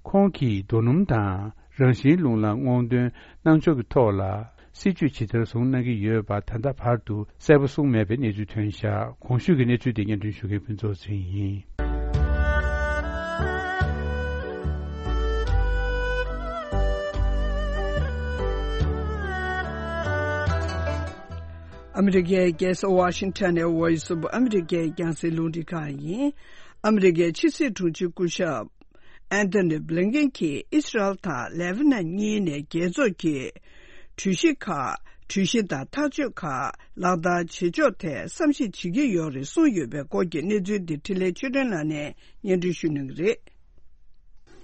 ཁོང་གིས་རྡོ་སྣུམ་དང་རང་བཞིན་རླུང་ལ་སྔོག་འདོན་གནང་ཕྱོགས་ཀྱི་ཐོག་ལ་སྲིད་ཇུས་ཇི་ལྟར་བཟུང་གནང་གི་ཡོད་པ་ད་ལྟ་བར་དུ་གསལ་པོ་གསུངས་མེད་པའི་གནས་ཚུལ་ཐོན་བཞག་གོང་ཞུས་ཀྱི་གནས་ཚུལ་དེ་སྙན་སྒྲོན་ཞུ་མཁན་ཕུན་ཚོགས་ཚེ་རིང་ཡིན། ཨ་མི་རི་ཀའི་རྒྱལ་ས་ཝ་ཤིང་ཊོན་ནས་Voice of America རྒྱང་སྲིང་རླུང་འཕྲིན་ཁང་ཡིན། ཨ་མི་རི་ཀའི་ཕྱི་སྲིད་དྲུང་ཆེ་སྐུ་ཞབས། ཨན་ཐོ་ནི་བྷི་ལིན་ཀེན་གྱིས་ཨི་སི་རལ་དང་ལེ་བྷ་ནན་གཉིས་ནས་རྒྱལ་ཚོགས་ཀྱི་གྲོས་གཞི་ཁག་གྲོས་གཞི་དང་ཐག་གཅོད་ཁག་ལག་བསྟར་བྱེད་ཕྱོགས་ཐད་བསམ་གཞིག་བྱེད་ཀྱི་ཡོད་རེད་གསུངས་ཡོད་པའི་སྐོར་གྱི་གནས་ཚུལ་འདི་འཕྲིན་ལས་ཆོས་སྒྲོན་ལགས་ནས་སྙན་སྒྲོན་ཞུ་གནང་གི་རེད།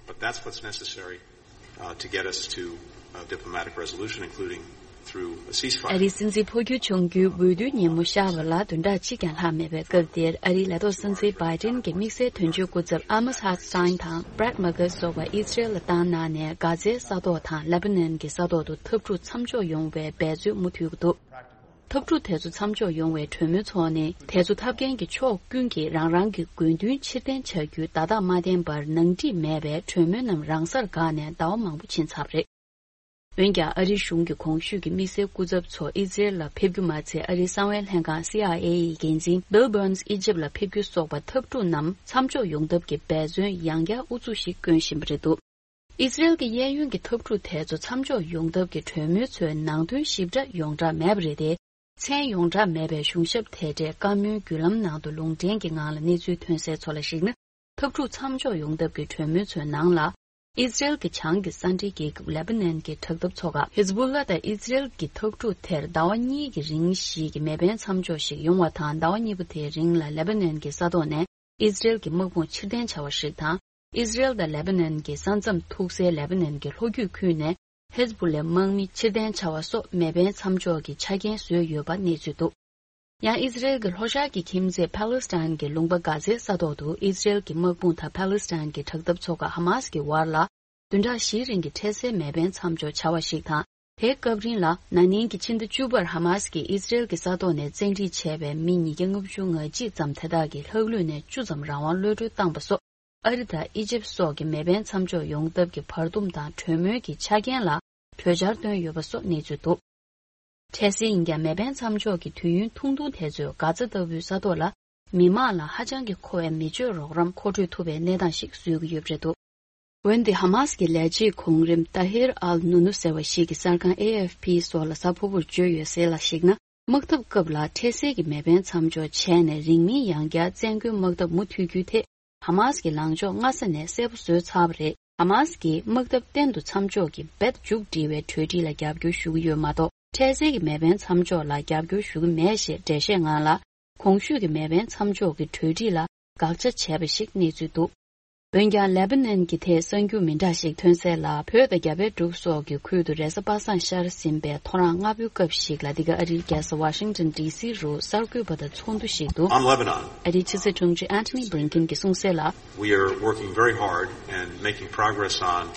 But that's what's necessary, uh, to get us to a diplomatic resolution, including through a ceasefire. ཨ་རིའི་སྲིད་འཛིན་འཕོ་འགྱུར་བྱུང་རྒྱུའི་འོས་བསྡུའི་ཉིན་མོ་ཤར་བ་ལ་བདུན་ཕྲག་གཅིག་ཀྱང་ལྷག་མེད་པའི་སྐབས་འདིར། ཨ་རིའི་ལས་ཐོག་སྲིད་འཛིན་བྷའི་ཏིན་གྱི་དམིགས་བསལ་དོན་གཅོད་སྐུ་ཚབ་ཨ་མོ་ཧ་སི་ཊིན་དང་བྷྲེད་མ་ཀར་སོགས་པ་ཨི་སི་རེལ་ལ་བཏང་གནང་ནས། གྷ་ཛའི་ས་ཐོག་དང་ལེ་བྷ་ནན་གྱི་ས་ཐོག་ཏུ་འཐབ་འཁྲུག་མཚམས་འཇོག་ཡོང་བའི་འབད་རྩོལ་མུ་མཐུད་ཀྱི་འདུག་འཐབ་འཁྲུག་དེ་ཚོ་མཚམས་འཇོག་ཡོང་བའི་གྲོས་མོལ་ཚོགས་ནས། དེ་ཚོ་འཐབ་མཁན་གྱི་ཕྱོགས་ཀུན་གྱིས་རང་རང་གི་དགོས་འདུན་ཕྱིར་འཐེན་བྱ་རྒྱུའི་བརྡ་རྟགས་མ་བསྟན་པར། ནང་འགྲིག་མེད་པའི་གྲོས་མོལ་རྣམས་རང་སར་འགག་ནས་ཟླ་བ་མང་པོ་ཕྱིན་ཚར་བ་རེད། འོན་ཀྱང་ཨ་རིའི་གཞུང་གི་གོང་ཞུས་ཀྱི་དམིགས་བསལ་སྐུ་ཚབ་ཚོ་ཨི་ཛི་རེལ་ལ་ཕེབས་རྒྱུ་མ་ཚད། ཨ་རིའི་གསང་བའི་ལྷན་ཁང་སི་ཨའི་ཨེ་ཡི་འགན་འཛིན་Bill Burns ཨི་ཇིབ་ལ་ཕེབས་རྒྱུ་སོགས་པ་འཐབ་འཁྲུག་ནམ་མཚམས་འཇོག་ཡོང་ཐབས་ཀྱི་འབད་བརྩོན་ཡང་བསྐྱར་ཨུ་ཚུགས་ཤིག་བསྐྱོན་བཞིན་པ་རེད་འདུག་ཨི་ཛི་རེལ་གྱི་གཡས་གཡོན་གྱི་འཐབ་འཁྲུག་དེ་ཚོ་མཚམས་འཇོག་ཡོང་ཐབས་ཀྱི་གྲོས་མོལ་ཚོའི་ནང་དོན་ཞིབ་ཕྲ་ཡོངས་གྲགས་མེད་པ་རེད་དེ། མཚན་ཡོངས་གྲགས་མེད་པའི་གཞུང་ཞབས་དེ་འདྲས་བཀའ་མོལ་བརྒྱུད་ལམ་ནང་དུ་ལུང་འདྲེན་གྱི་ངང་ལ་གནས་ཚུལ་ཐོན་གསལ་ཚོ་ལ་གཞིགས་ན། འཐབ་འཁྲུག་མཚམས་འཇོག་ཡོང་ཐབས་ཀྱི་གྲོས་མོལ་ཚོའི་ནང་ལ། ཨི་ཛི་རེལ་གྱི་བྱང་གི་ས་འབྲེལ་རྒྱལ་ཁབ་ལེ་པ་ནན་གྱི་དྲག་འཐབ་ཚོ་ཁག་ཧི་ཛ་བུ་ལ་དང་ཨི་ཛི་རེལ་གྱི་འཐབ་འཁྲུག་དེར་ཟླ་བ་གཉིས་ཀྱི་རིང་ཞིག་གི་མེ་འཕེན་མཚམས་འཇོག་ཞིག་ཡོང་བ་དང་། ཟླ་བ་གཉིས་པོ་དེའི་རིང་ལ་ལེ་པ་ནན་གྱི་ས་ཐོག་ནས་ཨི་ཛི་རེལ་གྱི་དམག་དཔུང་ཕྱིར་འཐེན་བྱ་བ་ཞིག་དང་། ཨི་ཛི་རེལ་དང་ལེ་པ་ནན་གྱི་ས་མཚམས་ཐུག་སའི་ལེ་པ་ནན་གྱི་ལྷོ་རྒྱུད་ཁུལ་ནས་ཧེ་ཛ་བུ་ལའི་དམག་མི་ཕྱིར་འཐེན་བྱ་བ་སོགས་མེ་འཕེན་མཚམས་འཇོག་གི་ཆ་རྐྱེན་བཟོས་ཡོད་པ་གནས་ཚུལ་འདུག་ཡང་ཨི་ཛི་རེལ་གྱི་ལྷོ་ཤར་གྱི་ཁྱིམ་མཚེས་ཕཱ་ལེ་སི་ཐན་གྱི་ལུང་པ་གྷ་ཛའི་ས་ཐོག་ཏུ་ཨི་ཛི་རེལ་གྱི་དམག་དཔུང་དང་ཕཱ་ལེ་སི་ཐན་གྱི་དྲག་འཐབ་ཚོ་ཁག་ཧ་མ་སི་ཀྱི་བར་ལ། བདུན་ཕྲག་བཞིའི་རིང་གི་འཕྲལ་སེལ་མེ་འཕེན་མཚམས་འཇོག་བྱ་བ་ཞིག་དང་། དེའི་སྐབས་རིང་ལ། ན་ནིང་གི་ཕྱི་ཟླ་བཅུ་པར་ཧ་མ་སི་ཀྱིས་ཨི་ཛི་རེལ་གྱི་ས་ཐོག་ནས་བཙན་ཁྲིད་བྱས་པའི་མི་ཉིས་བརྒྱ་ལྔ་བཅུ་ང་གཅིག་ཙམ་དེ་དག་གི་ལྷག་ལུས་ནས་བཅུ་ཙམ་རང་དབང་གློད་གྲོལ་བཏང་པ་སོགས། ཨ་རི་དང་ཨི་ཇིབ་སོགས་ཀྱི་མེ་འཕེན་མཚམས་འཇོག་ཡོང་ཐབས་ཀྱི་བར་འདུམ་དང་གྲོས་མོལ་གྱི་ཆ་རྐྱེན་ལ་གྲོས་འཆར་བཏོན་ཡོད་པ་སོགས་གནས་ཚུལ་འདུག་འཕྲལ་སེལ་ཡིན་ཀྱང་མེ་འཕེན་མཚམས་འཇོག་གི་དུས་ཡུན་ཐུང་ཐུང་དེ་ཚོས་གྷ་ཛ་ལྟ་བུའི་ས་ཐོག་ལ་མི་མང་ལ་ཧ་ཅང་གི་མཁོ་བའི་མི་སྤྱོད་རོགས་རམ་མཁོ་སྤྲོད་ཐུབ་པའི་གནས་སྟངས་ཤིག་བཟོ་གི་ཡོད་པ་རེད་འདུག་འོན་ཏེ་ཧ་མ་སི་ཀྱི་ལས་བྱེད་གོང་རིམ་ཏཱ་ཧིར་ཨལ་ནུ་ནུ་ཟེར་བ་ཞིག་གིས་གསར་ཁང་ཨེ་ཨེཕ་པི་སོགས་ལ་གཟའ་ཕུར་བུར་བརྗོད་ཡོད་གསལ་ལ་གཞིགས་ན། དམག་འཐབ་སྐབས་ལ་འཕྲལ་སེལ་གྱི་མེ་འཕེན་མཚམས་འཇོག་བྱས་ནས་རིང་མིན་ཡང་བསྐྱར་བཙན་རྒོལ་དམག་འཐབ་མུ་མཐུད་རྒྱུའི་ཐད་ཧ་མ་སི་ཀྱི་ལངས་ཕྱོགས་སྔ་ས་ནས་གསལ་པོ་བཟོས་ཚར་བ་རེད། ཧ་མ་སི་ཀྱིས་དམག་འཐབ་གཏན་དུ་མཚམས་འཇོག་གི་རྦད་མཇུག་སྒྲིལ་བའི་གྲོས་འགྲིག་ལ་རྒྱབ་སྐྱོར་ཞུ་གི་ཡོད་མ་གཏོགས། འཕྲལ་སེལ་གྱི་མེ་འཕེན་མཚམས་འཇོག་ལ་རྒྱབ་སྐྱོར་ཞུ་གི་མེད་ཞེས་འགྲེལ་བཤད་གནང་ལ། གོང་ཞུས་ཀྱི་མེ་འཕེན་མཚམས་འཇོག་གི་གྲོས་འགྲིག་ལ་དགག་བྱ་བྱས་པ་ཞིག་གནས་ཚུལ་འདུག་འོན་ཀྱང་། ལེ་པ་ནན་གྱི་ཐད་གསར་འགྱུར་མི་འདྲ་ཞིག་ཐོན་གསལ་ལ། བོད་དང་རྒྱ་བལ་འབྲུག་སོགས་ཀྱི་ཁུལ་དུ་རེས་གཟའ་པ་སངས་ཤར་ཟིན་པའི་ཐོ་རངས་སྔ་པོའི་སྐབས་ཤིག་ལ། འདི་ག་ཨ་རིའི་རྒྱལ་ས་ཝ་ཤིང་ཏོན་ཌི་སི་རུ་གསར་འགོད་པ་དང་ཚོགས་འདུ་ཞིག་ཏུ། On Lebanon, ཨ་རིའི་ཕྱི་སྲིད་དྲུང་ཆེ་ཨན་ཐོ་ནི་བྷི་ལིན་ཀིན་གྱིས་གསུངས་གསལ་ལ། We are working very hard and making progress on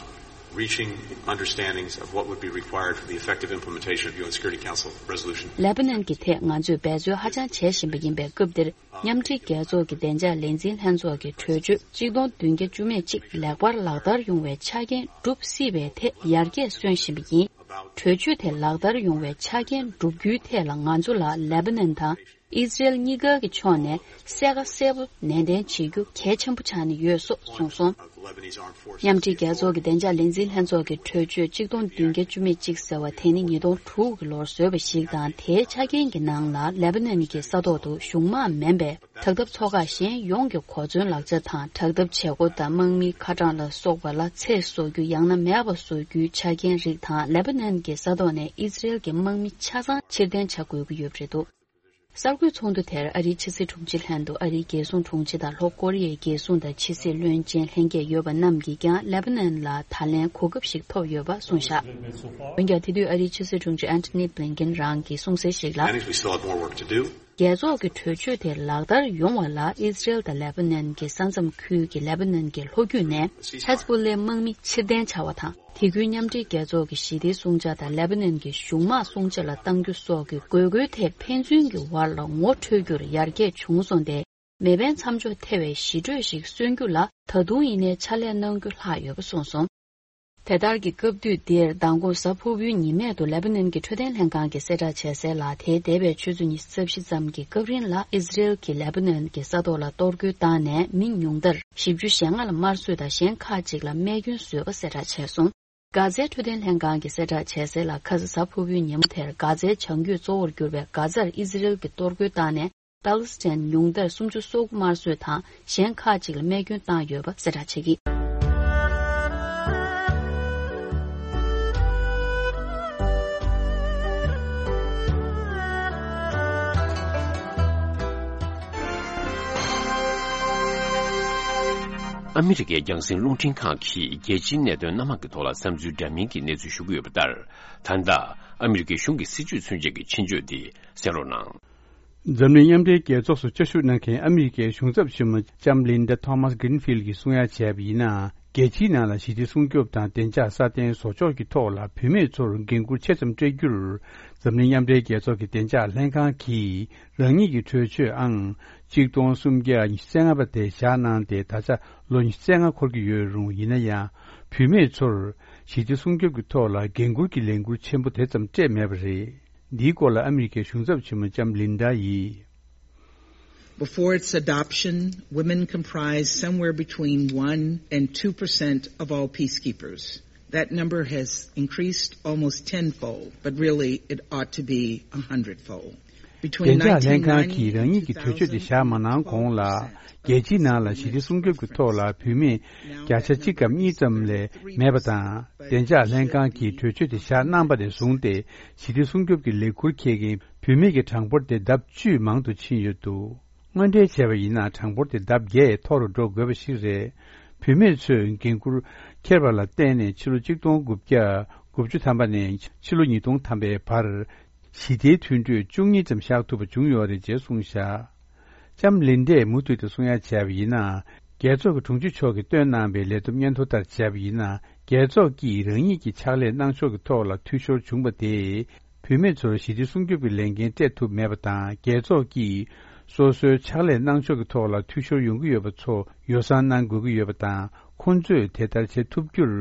reaching understandings of what would be required for the effective implementation of U N Security Council resolution. ལེ་པ་ནན་གྱི་ཐད་ང་ཚོས་འབད་རྩོལ་ཧ་ཅང་བྱེད་བཞིན་པ་ཡིན་པའི་སྐབས་འདིར། མཉམ་འབྲེལ་རྒྱལ་ཚོགས་ཀྱི་བདེ་འཇགས་ལས་འཛིན་ལྷན་ཚོགས་ཀྱི་གྲོས་ཆོད་གཅིག་སྟོང་བདུན་བརྒྱ་བཅུ་མེད་གཅིག་ལེགས་པར་ལག་བསྟར་ཡོང་བའི་ཆ་རྐྱེན་སྒྲུབ་སྲིད་པའི་ཐད་ཡར་རྒྱས་སོན་བཞིན་པ་ཡིན། གྲོས་ཆོད་དེ་ལག་བསྟར་ཡོང་བའི་ཆ་རྐྱེན་བསྒྲུབ་རྒྱུའི་ཐད་ལ་ང་ཚོ་ལ་ལེ་པ་ནན་དང་ཨི་ཛི་རེལ་གཉིས་ཀ་གི་ཕྱོགས་ནས་གསལ་ཁ་གསལ་པོ་ནན་ཏན་བྱེད་རྒྱུ་གལ་ཆེན་པོ་ཆགས་ནས་ཡོད་སོགས་གསུངས་སོང་། མཉམ་འབྲེལ་རྒྱལ་ཚོགས་ཀྱི་བདེ་འཇགས་ལས་འཛིན་ལྷན་ཚོགས་ཀྱི་གྲོས་ཆོད་གཅིག་སྟོང་བདུན་བརྒྱ་བཅུ་མེད་གཅིག་ཟེར་བ་དེ་ནི་ཉིས་སྟོང་དྲུག་གི་ལོར་བཟོས་པ་ཞིག་དང་། དེའི་ཆ་རྐྱེན་གྱི་ནང་ལ་ལེ་པ་ནན་གྱི་ས་ཐོག་ཏུ་གཞུང་དམག་མིན་པའི་དྲག་འཐབ་ཚོགས་ཁག་གཞན་ཡོངས་ཀྱི་གོ་མཚོན་ལག་ཆ་དང་། དྲག་འཐབ་བྱེད་སྒོ་དང་དམག་མིའི་ཁ་གྲངས་ལ་སོགས་པ་ལ་ཚད་བཟོ་རྒྱུ་ཡང་ན་མེད་པ་བཟོ་རྒྱུའི་ཆ་རྐྱེན་རིགས་དང་། ལེ་པ་ནན་གྱི་ས་ཐོག་ནས་ཨི་ཛི་རེལ་གྱི་དམག་མི་ཆ་ཚང་ཕྱིར་འཐེན་བྱ་དགོས་ཀྱི་ཡོད་པ་རེད་འདུག་གསར་འགོད་ཚོགས་འདུ་དེར་ཨ་རིའི་ཕྱི་སྲིད་དྲུང་ཆེ་ལྷན་དུ་ཨ་རིའི་རྒྱལ་སྲུང་དྲུང་ཆེ་དང་ལྷོ་ཀོ་རི་ཡའི་རྒྱལ་སྲུང་དང་ཕྱི་སྲིད་བློན་ཆེན་ལྷན་རྒྱས་ཡོད་པ་རྣམས་ཀྱིས་ཀྱང་ལེ་པ་ནན་ལ་ད་ལན་གོ་སྐབས་ཤིག་ཐོབ་ཡོད་པ་གསུངས་བཞག་འོན་ཀྱང་། དེ་དུས་ཨ་རིའི་ཕྱི་སྲིད་དྲུང་ཆེ་ཨན་ཐོ་ནི་བྷི་ལིན་ཀིན་རང་གིས་གསུངས་གསལ་ཞིག་ལ། Many, we still have more work to do. རྒྱལ་ཚོགས་ཀྱི་གྲོས་ཆོད་དེ་ལག་བསྟར་ཡོང་བ་ལ། ཨི་ཛི་རེལ་དང་ལེ་པ་ནན་གྱི་ས་མཚམས་ཁུལ་གྱི་ལེ་པ་ནན་གྱི་ལྷོ་རྒྱུད་ནས་ཧེ་ཛ་བུ་ལའི་དམག་མི་ཕྱིར་འཐེན་བྱ་བ་དང་། དེ་ཁུལ་མཉམ་འབྲེལ་རྒྱལ་ཚོགས་ཀྱི་ཞི་བདེའི་སྲུང་བྱ་དང་ལེ་པ་ནན་གྱི་གཞུང་དམག་སྲུང་བྱ་ལ་གཏང་རྒྱུ་སོགས་ཀྱི་དགོས་མཁོའི་ཐད་ཕན་ཚུན་གྱི་བར་ལ་ངོ་འཕྲོད་རྒྱུར་ཡར་རྒྱས་བྱུང་སོང་སྟེ། མེ་འཕེན་མཚམས་འཇོག་ཐེ་བའི་ཞི་གྲོས་ཤིག་སོན་རྒྱུ་ལ་ད་དུང་ཡིན་ནའི་ཕྱག་ལས་གནང་རྒྱུ་ལྷག་ཡོད་པ་གསུངས་སོང་། དེ་ལྟར་གྱི་སྐབས་དུས་འདིར་མདང་དགོང་གཟའ་ཕུར་བུའི་ཉི་མ་དུ་ལེ་པ་ནན་གྱི་འཕྲོད་བསྟེན་ལྷན་ཁང་གིས་གསལ་བསྒྲགས་བྱས་གསལ་ལ། དེའི་འདས་པའི་ཆུ་ཚོད་ཉི་ཤུ་རྩ་བཞི་ཙམ་གྱི་སྐབས་རིང་ལ་ཨི་ཛི་རེལ་གྱིས་ལེ་པ་ནན་གྱི་ས་ཐོག་ལ་གཏོར་རྒོལ་བཏང་ནས་མི་ཉུང་མཐར་བཞི་བཅུ་ཞེ་ལྔ་ལ་དམར་གསོད་དང་གཞན་ཁག་ཅིག་ལ་རྨས་སྐྱོན་བཟོས་པ་གསལ་བསྒྲགས་བྱས་སོང་། གྷ་ཛའི་འཕྲོད་བསྟེན་ལྷན་ཁང་གིས་གསལ་བསྒྲགས་བྱས་གསལ་ལ། ཁ་སང་གཟའ་ཕུར་བུའི་ཉིན་མོ་དེར་གྷ་ཛའི་བྱང་རྒྱུད་གཙོ་བོར་གྱུར་པའི་གྷ་ཛར་ཨི་ཛི་རེལ་གྱིས་གཏོར་རྒོལ་བཏང་ནས་པ་ལི་སི་ཐན་ཉུང་མཐར་སུམ་ཅུ་སོ་དགུ་དམར་གསོད་དང་གཞན་ཁག་ཅིག་ལ་རྨས་སྐྱོན་བཏང་ཡོད་པ་གསལ་བསྒྲགས་བྱེད་ཀྱི། ཨ་མི་རི་ཀའི་རྒྱང་སྲིང་རླུང་འཕྲིན་ཁང་གིས་རྒྱལ་སྤྱིའི་གནད་དོན་སྣ་མང་གི་ཐོག་ལ་བསམ་ཚུལ་འདྲ་མིན་གྱི་གནས་ཚུལ་ཞུ་གི་ཡོད་པ་ལྟར། ད་ལྟ་ཨ་མི་རི་ཀའི་གཞུང་གི་སྲིད་ཇུས་མཚོན་བྱེད་ཀྱི་ཆེད་བརྗོད་འདི་གསན་རོགས་གནང་། འཛམ་གླིང་མཉམ་འབྲེལ་རྒྱལ་ཚོགས་སུ་བཅའ་བཞུགས་གནང་མཁན་ཨ་མི་རི་ཀའི་གཞུང་ཚབ་ཆེན་མོ་ལྕམ་ལིན་ཌ་ཐོ་མཱས་གྷི་རིན་ཕིལ་གྱིས་གསུང་ཡ་བྱས་པ་ཡིན་ན། རྒྱལ་སྤྱིའི་ནང་ལ་ཞི་བདེ་སྲུང་སྐྱོབ་དང་བདེ་འཇགས་སྲ་བརྟན་བཟོ་ཕྱོགས་ཀྱི་ཐོག་ལ་བུད་མེད་ཚོར་འགན་འཁུར་ཆེ་ཙམ་སྤྲད་རྒྱུར། འཛམ་གླིང་མཉམ་འབྲེལ་རྒྱལ་ཚོགས་ཀྱི་བདེ་འཇགས་ལྷན་ཁང་གིས་རང་ཉིད་ཀྱི་གྲོས་ཆོད་ཨང་གཅིག་སྟོང་སུམ་བརྒྱ་ཉི་ཤུ་རྩ་ལྔ་པ་དེ་བཞག་གནང་སྟེ། ད་ཆ་ལོ་ཉི་ཤུ་རྩ་ལྔ་འཁོར་གྱི་ཡོད་རུང་། ཡིན་ན་ཡང་བུད་མེད་ཚོར་ ཞི་བདེ་སྲུང་སྐྱོབ་ཀྱི་ཐོག་ལ་འགན་འཁུར་གྱི་ལས་འཁུར་ཆེན་པོ་དེ་ཙམ་སྤྲད་མེད་པ་རེད། འདིའི་སྐོར་ལ་ཨ་མི་རི་ཀའི་གཞུང་ཚབ་ཆེན་མོ་ལྕམ་ལིན་ཌ་ཡིས། Before its adoption, women comprised somewhere between one and two percent of all peacekeepers. That number has increased almost tenfold, but really it ought to be a hundredfold. བདེ་འཇགས་ལྷན་ཁང་གིས་རང་ཉིད་ཀྱི་གྲོས་ཆོད་དེ་བཞག་མ་གནང་གོང་ལ། རྒྱལ་སྤྱིའི་ནང་ལ་ཞི་བདེ་སྲུང་སྐྱོབ་ཀྱི་ཐོག་ལ་བུད་མེད་བརྒྱ་ཆ་གཅིག་གམ་གཉིས་ཙམ་ལས་མེད་པ་དང་། བདེ་འཇགས་ལྷན་ཁང་གིས་གྲོས་ཆོད་དེ་བཞག་གནང་པ་ནས་བཟུང་སྟེ། ཞི་བདེ་སྲུང་སྐྱོབ་ཀྱི་ལས་འཁུར་འཁྱེར་མཁན་བུད་མེད་ཀྱི་གྲངས་འབོར་དེ་ལྡབ་བཅུས་མང་དུ་ཕྱིན་ཡོད་འདུག་དངོས་འབྲེལ་བྱས་པ་ཡིན་ན། གྲངས་འབོར་དེ་ལྡབ་བརྒྱད་མཐོ་རུ་འགྲོ་དགོས་པ་ཞིག་རེད། བུད་མེད་ཚོས་འགན་འཁུར་འཁྱེར་བ་ལ་བརྟེན་ནས། ཕྱི་ལོ་གཅིག་སྟོང་དགུ་བརྒྱ་དགུ་བཅུ་ཐམ་པ་ནས་ཕྱི་ལོ་ཉིས་སྟོང་ཐམ་པའི་བར། ཞི་བདེའི་མཐུན་གྲོས་བཅུ་གཉིས་ཙམ་བཞག་ཐུབ་པ་བྱུང་ཡོད་རེད་ཅེས་གསུངས་བཞག་ལྕམ་ལིན་ཌས་མུ་མཐུད་དུ་གསུང་ཡ་བྱས་པ་ཡིན་ན། རྒྱལ་ཚོགས་ཀྱི་དྲུང་ཆེ་མཆོག་གིས་བཏོན་གནང་བའི་ལས་བསྡོམས་སྙན་ཐོ་ལྟར་བྱས་པ་ཡིན་ན། རྒྱལ་ཚོགས་ཀྱིས་རང་ཉིད་ཀྱི་ཕྱག་ལས་གནང་ཕྱོགས་ཀྱི་ཐོག་ལ་འཐུས་ཤོར་བྱུང་བ་དེས། བུད་མེད་ཚོར་ཞི་བདེ་སྲུང་སྐྱོབ་ཀྱི་ལས་འགན་སྤྲད་ཐུབ་མེད་པ་དང་། རྒྱལ་ཚོགས་ཀྱིས་སོ་སོའི་ཕྱག་ལས་གནང་ཕྱོགས་ཀྱི་ཐོག་ལ་འཐུས་ཤོར་ཡོང་གི་ཡོད་པ་ཚོ་ཡོ་བསྲང་གནང་དགོས་ཀྱི་ཡོད་པ་དང་། ཁོང་ཚོས་དེ་ལྟར་བྱེད་ཐུབ་རྒྱུར་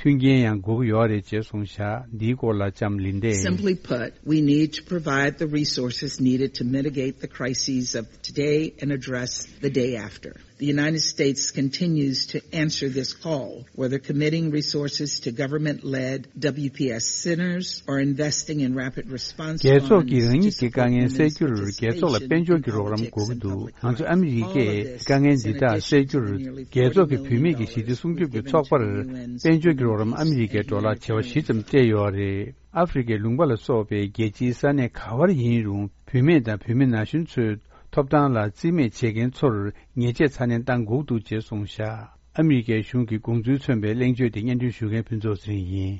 མཐུན་རྐྱེན་ཡང་དགོས་ཀྱི་ཡོད་རེད་ཅེས་གསུངས་བཞག་འདིའི་སྐོར་ལ་ལྕམ་ལིན་ཌས། Simply put, we need to provide the resources needed to mitigate the crises of today and address the day after. The United States continues to answer this call, whether committing resources to government-led W P S centers or investing in rapid response funds to support women's participation in politics and public health. རྒྱལ་ཚོགས་ཀྱིས་རང་ཉིད་ཀྱི་དཀའ་ངལ་སེལ་རྒྱུར་རྒྱལ་ཚོགས་ལ་དཔལ་འབྱོར་གྱི་རོགས་རམ་དགོས་ཀྱི་འདུག་ང་ཚོ་ཨ་མི་རི་ཀས་དཀའ་ངལ་འདི་དག་སེལ་རྒྱུར་རྒྱལ་ཚོགས་ཀྱི་བུད་མེད་ཀྱི་ཞི་བདེ་སྲུང་སྐྱོབ་ཀྱི་ཚོགས་པར་དཔལ་འབྱོར་གྱི་རོགས་རམ་ཨ་མི་རི་ཀའི་ཌོ་ལར་བྱེ་བ་བཞི་ཙམ་སྤྲད་ཡོད་རེད། ཨ་ཧྥེ་རི་ཁའི་ལུང་པ་ལ་སོགས་པའི་རྒྱལ་སྤྱིའི་ས་གནས་ག་བར་ཡིན་རུང་། བུད་མེད་དང་བུད་མེད་ན་གཞོན་ཚོའི་ཐོབ་ཐང་ལ་རྩིས་མེད་བྱེད་མཁན་ཚོར་ཉེས་ཆད་ཚ་ནན་གཏང་དགོས་འདུག་ཅེས་གསུངས་བཞག་ཨ་མི་རི་ཀའི་གཞུང་གི་དགོངས་ཚུལ་མཚོན་པའི་གླེང་བརྗོད་དེ་སྙན་སྒྲོན་ཞུ་མཁན་ཕུན་ཚོགས་ཚེ་རིང་ཡིན།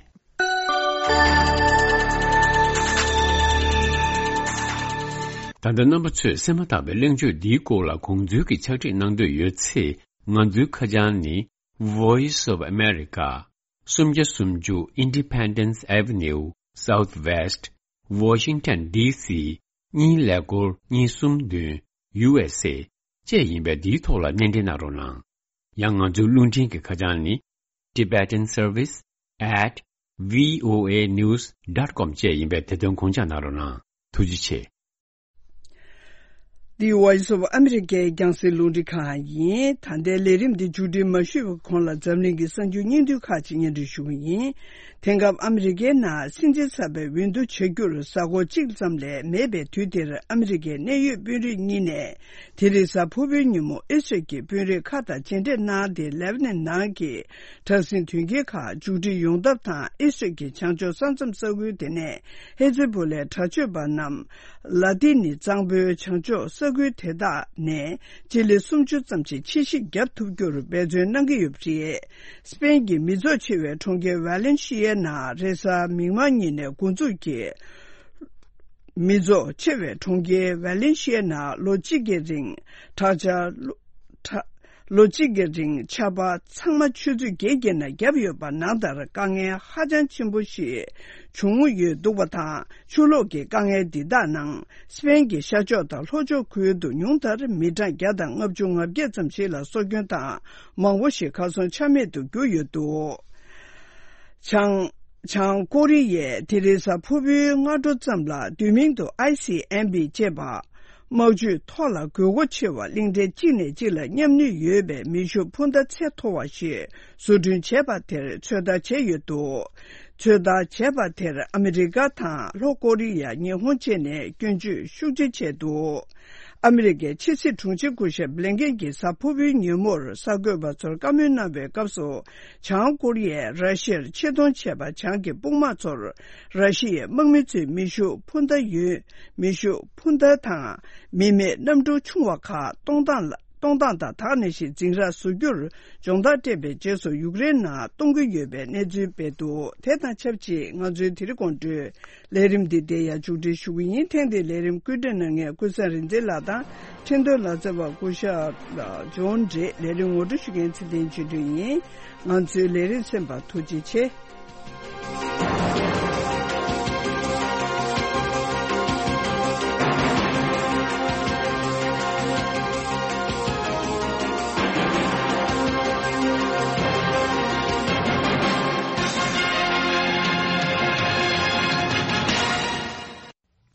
ད་ལྟ་རྣམ་པ་ཚོས་སེམས་པ་ཐག་པའི་གླེང་བརྗོད་འདིའི་སྐོར་ལ་དགོངས་ཚུལ་གྱི་ཕྱག་བྲིས་གནང་འདོད་ཡོད་ཚེ། ང་ཚོའི་ཁ་བྱང་ནི། Voice of America། སུམ་བརྒྱ་སུམ་ཅུ་Independence Avenue Southwest Washington D C གཉིས་ཀླད་ཀོར་གཉིས་གསུམ་བདུན། U S A བཅས་ཡིན་པས། འདིའི་ཐོག་ལ་སྣེ་འདྲེན་གནང་རོགས་གནང་། ཡང་ང་ཚོའི་རླུང་འཕྲིན་གྱི་ཁ་བྱང་ནི། Tibetan Service at V O A news dot com བཅས་ཡིན་པས། དེ་དོན་དགོངས་འཇགས་གནང་རོགས་གནང་། ཐུགས་རྗེ་ཆེ། འདི་Voice of America རྒྱང་སྲིང་རླུང་འཕྲིན་ཁང་ཡིན། ད་ལྟའི་ལས་རིམ་འདི་མཇུག་སྒྲིལ་མ་ཞུས་པའི་གོང་ལ་འཛམ་གླིང་གི་གསར་འགྱུར་སྙིང་བསྡུས་ཁག་ཅིག་སྙན་སྒྲོན་ཞུ་གི་ཡིན། དེང་སྐབས་ཨ་མི་རི་ཀའི་ནང་སྲིད་འཛིན་གསར་པའི་འོས་བསྡུ་བྱ་རྒྱུར་གཟའ་འཁོར་གཅིག་ཙམ་ལས་མེད་པའི་དུས་འདིར། ཨ་མི་རི་ཀའི་གནད་ཡོད་དཔོན་རིགས་གཉིས་ནས་དེ་རིང་གཟའ་ཕུར་བུའི་ཉིན་མོ་ཨི་སི་རལ་གྱི་དཔོན་རིགས་ཁག་དང་མཇལ་འཕྲད་གནང་སྟེ། ལེ་བྷ་ནན་ནང་གི་དྲག་ཟིང་དོན་རྐྱེན་ཁག་མཇུག་སྒྲིལ་ཡོང་ཐབས་དང་། ཨི་སི་རལ་གྱི་བྱང་ཕྱོགས་ས་མཚམས་ས་ཁུལ་དེ་ནས་ཧེ་ཛི་བྷོ་ལའི་དྲག་སྤྱོད་པ་རྣམས་ལ་ཏི་ནི་གཙང་པོའི་བྱང་ཕྱོགས་ས་ཁུལ་དེ་དག་ནས་སྤྱི་ལེ་སུམ་ཅུ་ཙམ་ཞིག་ཕྱིར་བཤིག་བརྒྱབ་ཐུབ་རྒྱུར་འབད་བརྩོན་གནང་གི་ཡོད་པ་རེད། སི་པེན་གྱི་མི་ཚོགས་ཆེ་བའི་གྲོང་ཁྱེར་ཝ་ལེན་ཤི་ཡའི་ནང་རེས་གཟའ་མིག་དམར་ཉིན་ནས་འགོ་འཛུགས་ཀྱིས། མི་ཚོགས་ཆེ་བའི་གྲོང་ཁྱེར་ཝེ་ལེན་ཤི་ཡའི་ནང་ལོ་གཅིག་གི་རིང་དྲག་ཆར། ལོ་གཅིག་གི་རིང་ཆར་པ་ཚང་མ་ཆུ་ཚོད་བརྒྱད་བརྒྱབ་ན་བརྒྱབ་ཡོད་པ་ནང་ལྟར་དཀའ་ངལ་ཧ་ཅང་ཆེན་པོ་ཞིག་བྱུང་ཡོད་འདུག་པ་དང་། ཆུ་ལོག་གི་དཀའ་ངལ་འདི་དག་ནང་སི་པེན་གྱི་ཤར་ཕྱོགས་དང་ལྷོ་ཕྱོགས་ཁུལ་དུ་ཉུང་མཐར་མི་གྲངས་བརྒྱ་དང་ལྔ་བཅུ་ང་བརྒྱད་ཙམ་ཞིག་ལ་སྲོག་སྐྱོན་དང་མང་པོ་ཞིག་གར་སོང་ཆ་མེད་དུ་གྱུར་ཡོད་འདུག་བྱང་། བྱང་ཀོ་རི་ཡས་དེ་རིང་གཟའ་ཕུར་བུའི་སྔ་དྲོ་ཙམ་ལ་བསྡུས་མིང་དུ་ཨའི་སི་ཨེམ་བི་ཅེས་པ། དམག་ཇུས་ཐོག་ལ་དགོས་མཁོ་ཆེ་བ་གླིང་ཕྲན་གཅིག་ནས་གཅིག་ལ་མཉམ་ནུས་ཡོད་པའི་མེ་ཤུགས་འཕུར་མདའ་ཚད་མཐོ་བ་ཞིག་བཟོ་སྐྲུན་བྱས་པ་དེར་ཚོད་ལྟ་བྱས་ཡོད་འདུག་ཚོད་ལྟ་བྱས་པ་དེར་ཨ་མི་རི་ཀ་དང་ལྷོ་ཀོ་རི་ཡ། ཉི་ཧོང་བཅས་ནས་སྐྱོན་བརྗོད་ཤུགས་ཆེ་བྱས་འདུག་ཨ་མི་རི་ཀའི་ཕྱི་སྲིད་དྲུང་ཆེ་སྐུ་ཞབས་བྷི་ལིན་ཀེན་གྱིས་གཟའ་ཕུར་བུའི་ཉིན་མོར་གསར་འགོད་པ་ཚོར་བཀའ་མོལ་གནང་བའི་སྐབས་སུ། བྱང་ཀོ་རི་ཡས་ར་ཤི་ཡར་ཆེད་གཏོང་བྱས་པ། བྱང་གི་དཔུང་དམག་ཚོར་ར་ཤི་ཡའི་དམག་མི་ཚོའི་མེ་ཤུགས་འཕུར་མདའ་ཡོད། མེ་ཤུགས་འཕུར་མདའ་དང་མི་མེད་གནམ་གྲུ་ཆུང་བ་ཁག་གཏོང་སྟངས་ལ། གཏོང་སྟངས་དང་དག་ནང་བཞིན་འཛིང་རགས་བཟོ་རྒྱུར་སྦྱོང་བརྡར་སྤྲད་པའི་རྗེས་སུ་ཡུཀ་རེན་ནང་གཏོང་གི་ཡོད་པའི་གནས་ཚུལ་སྤེལ་འདུག་དེ་དང་ཆབས་ཅིག་ང་ཚོའི་དེ་རིང་དགོང་དྲོའི་ལས་རིམ་འདི་འདིར་ཡང་མཇུག་སྒྲིལ་ཞུ་གི་ཡིན། ཐེངས་འདིའི་ལས་རིམ་བཀོད་སྒྲིག་གནང་མཁན་ཀུན་བཟང་རིག་འཛིན་ལགས་དང་། འཕྲིན་གཏོང་ལག་རྩལ་བ་སྐུ་ཞབས་ཇོན་ཌེ། ལས་རིམ་ངོ་སྤྲོད་ཞུ་མཁན་ཚེ་བརྟན་ཆོས་སྒྲོན་ཡིན། ང་ཚོའི་ལས་རིམ་གསན་པར་ཐུགས་རྗེ་ཆེ།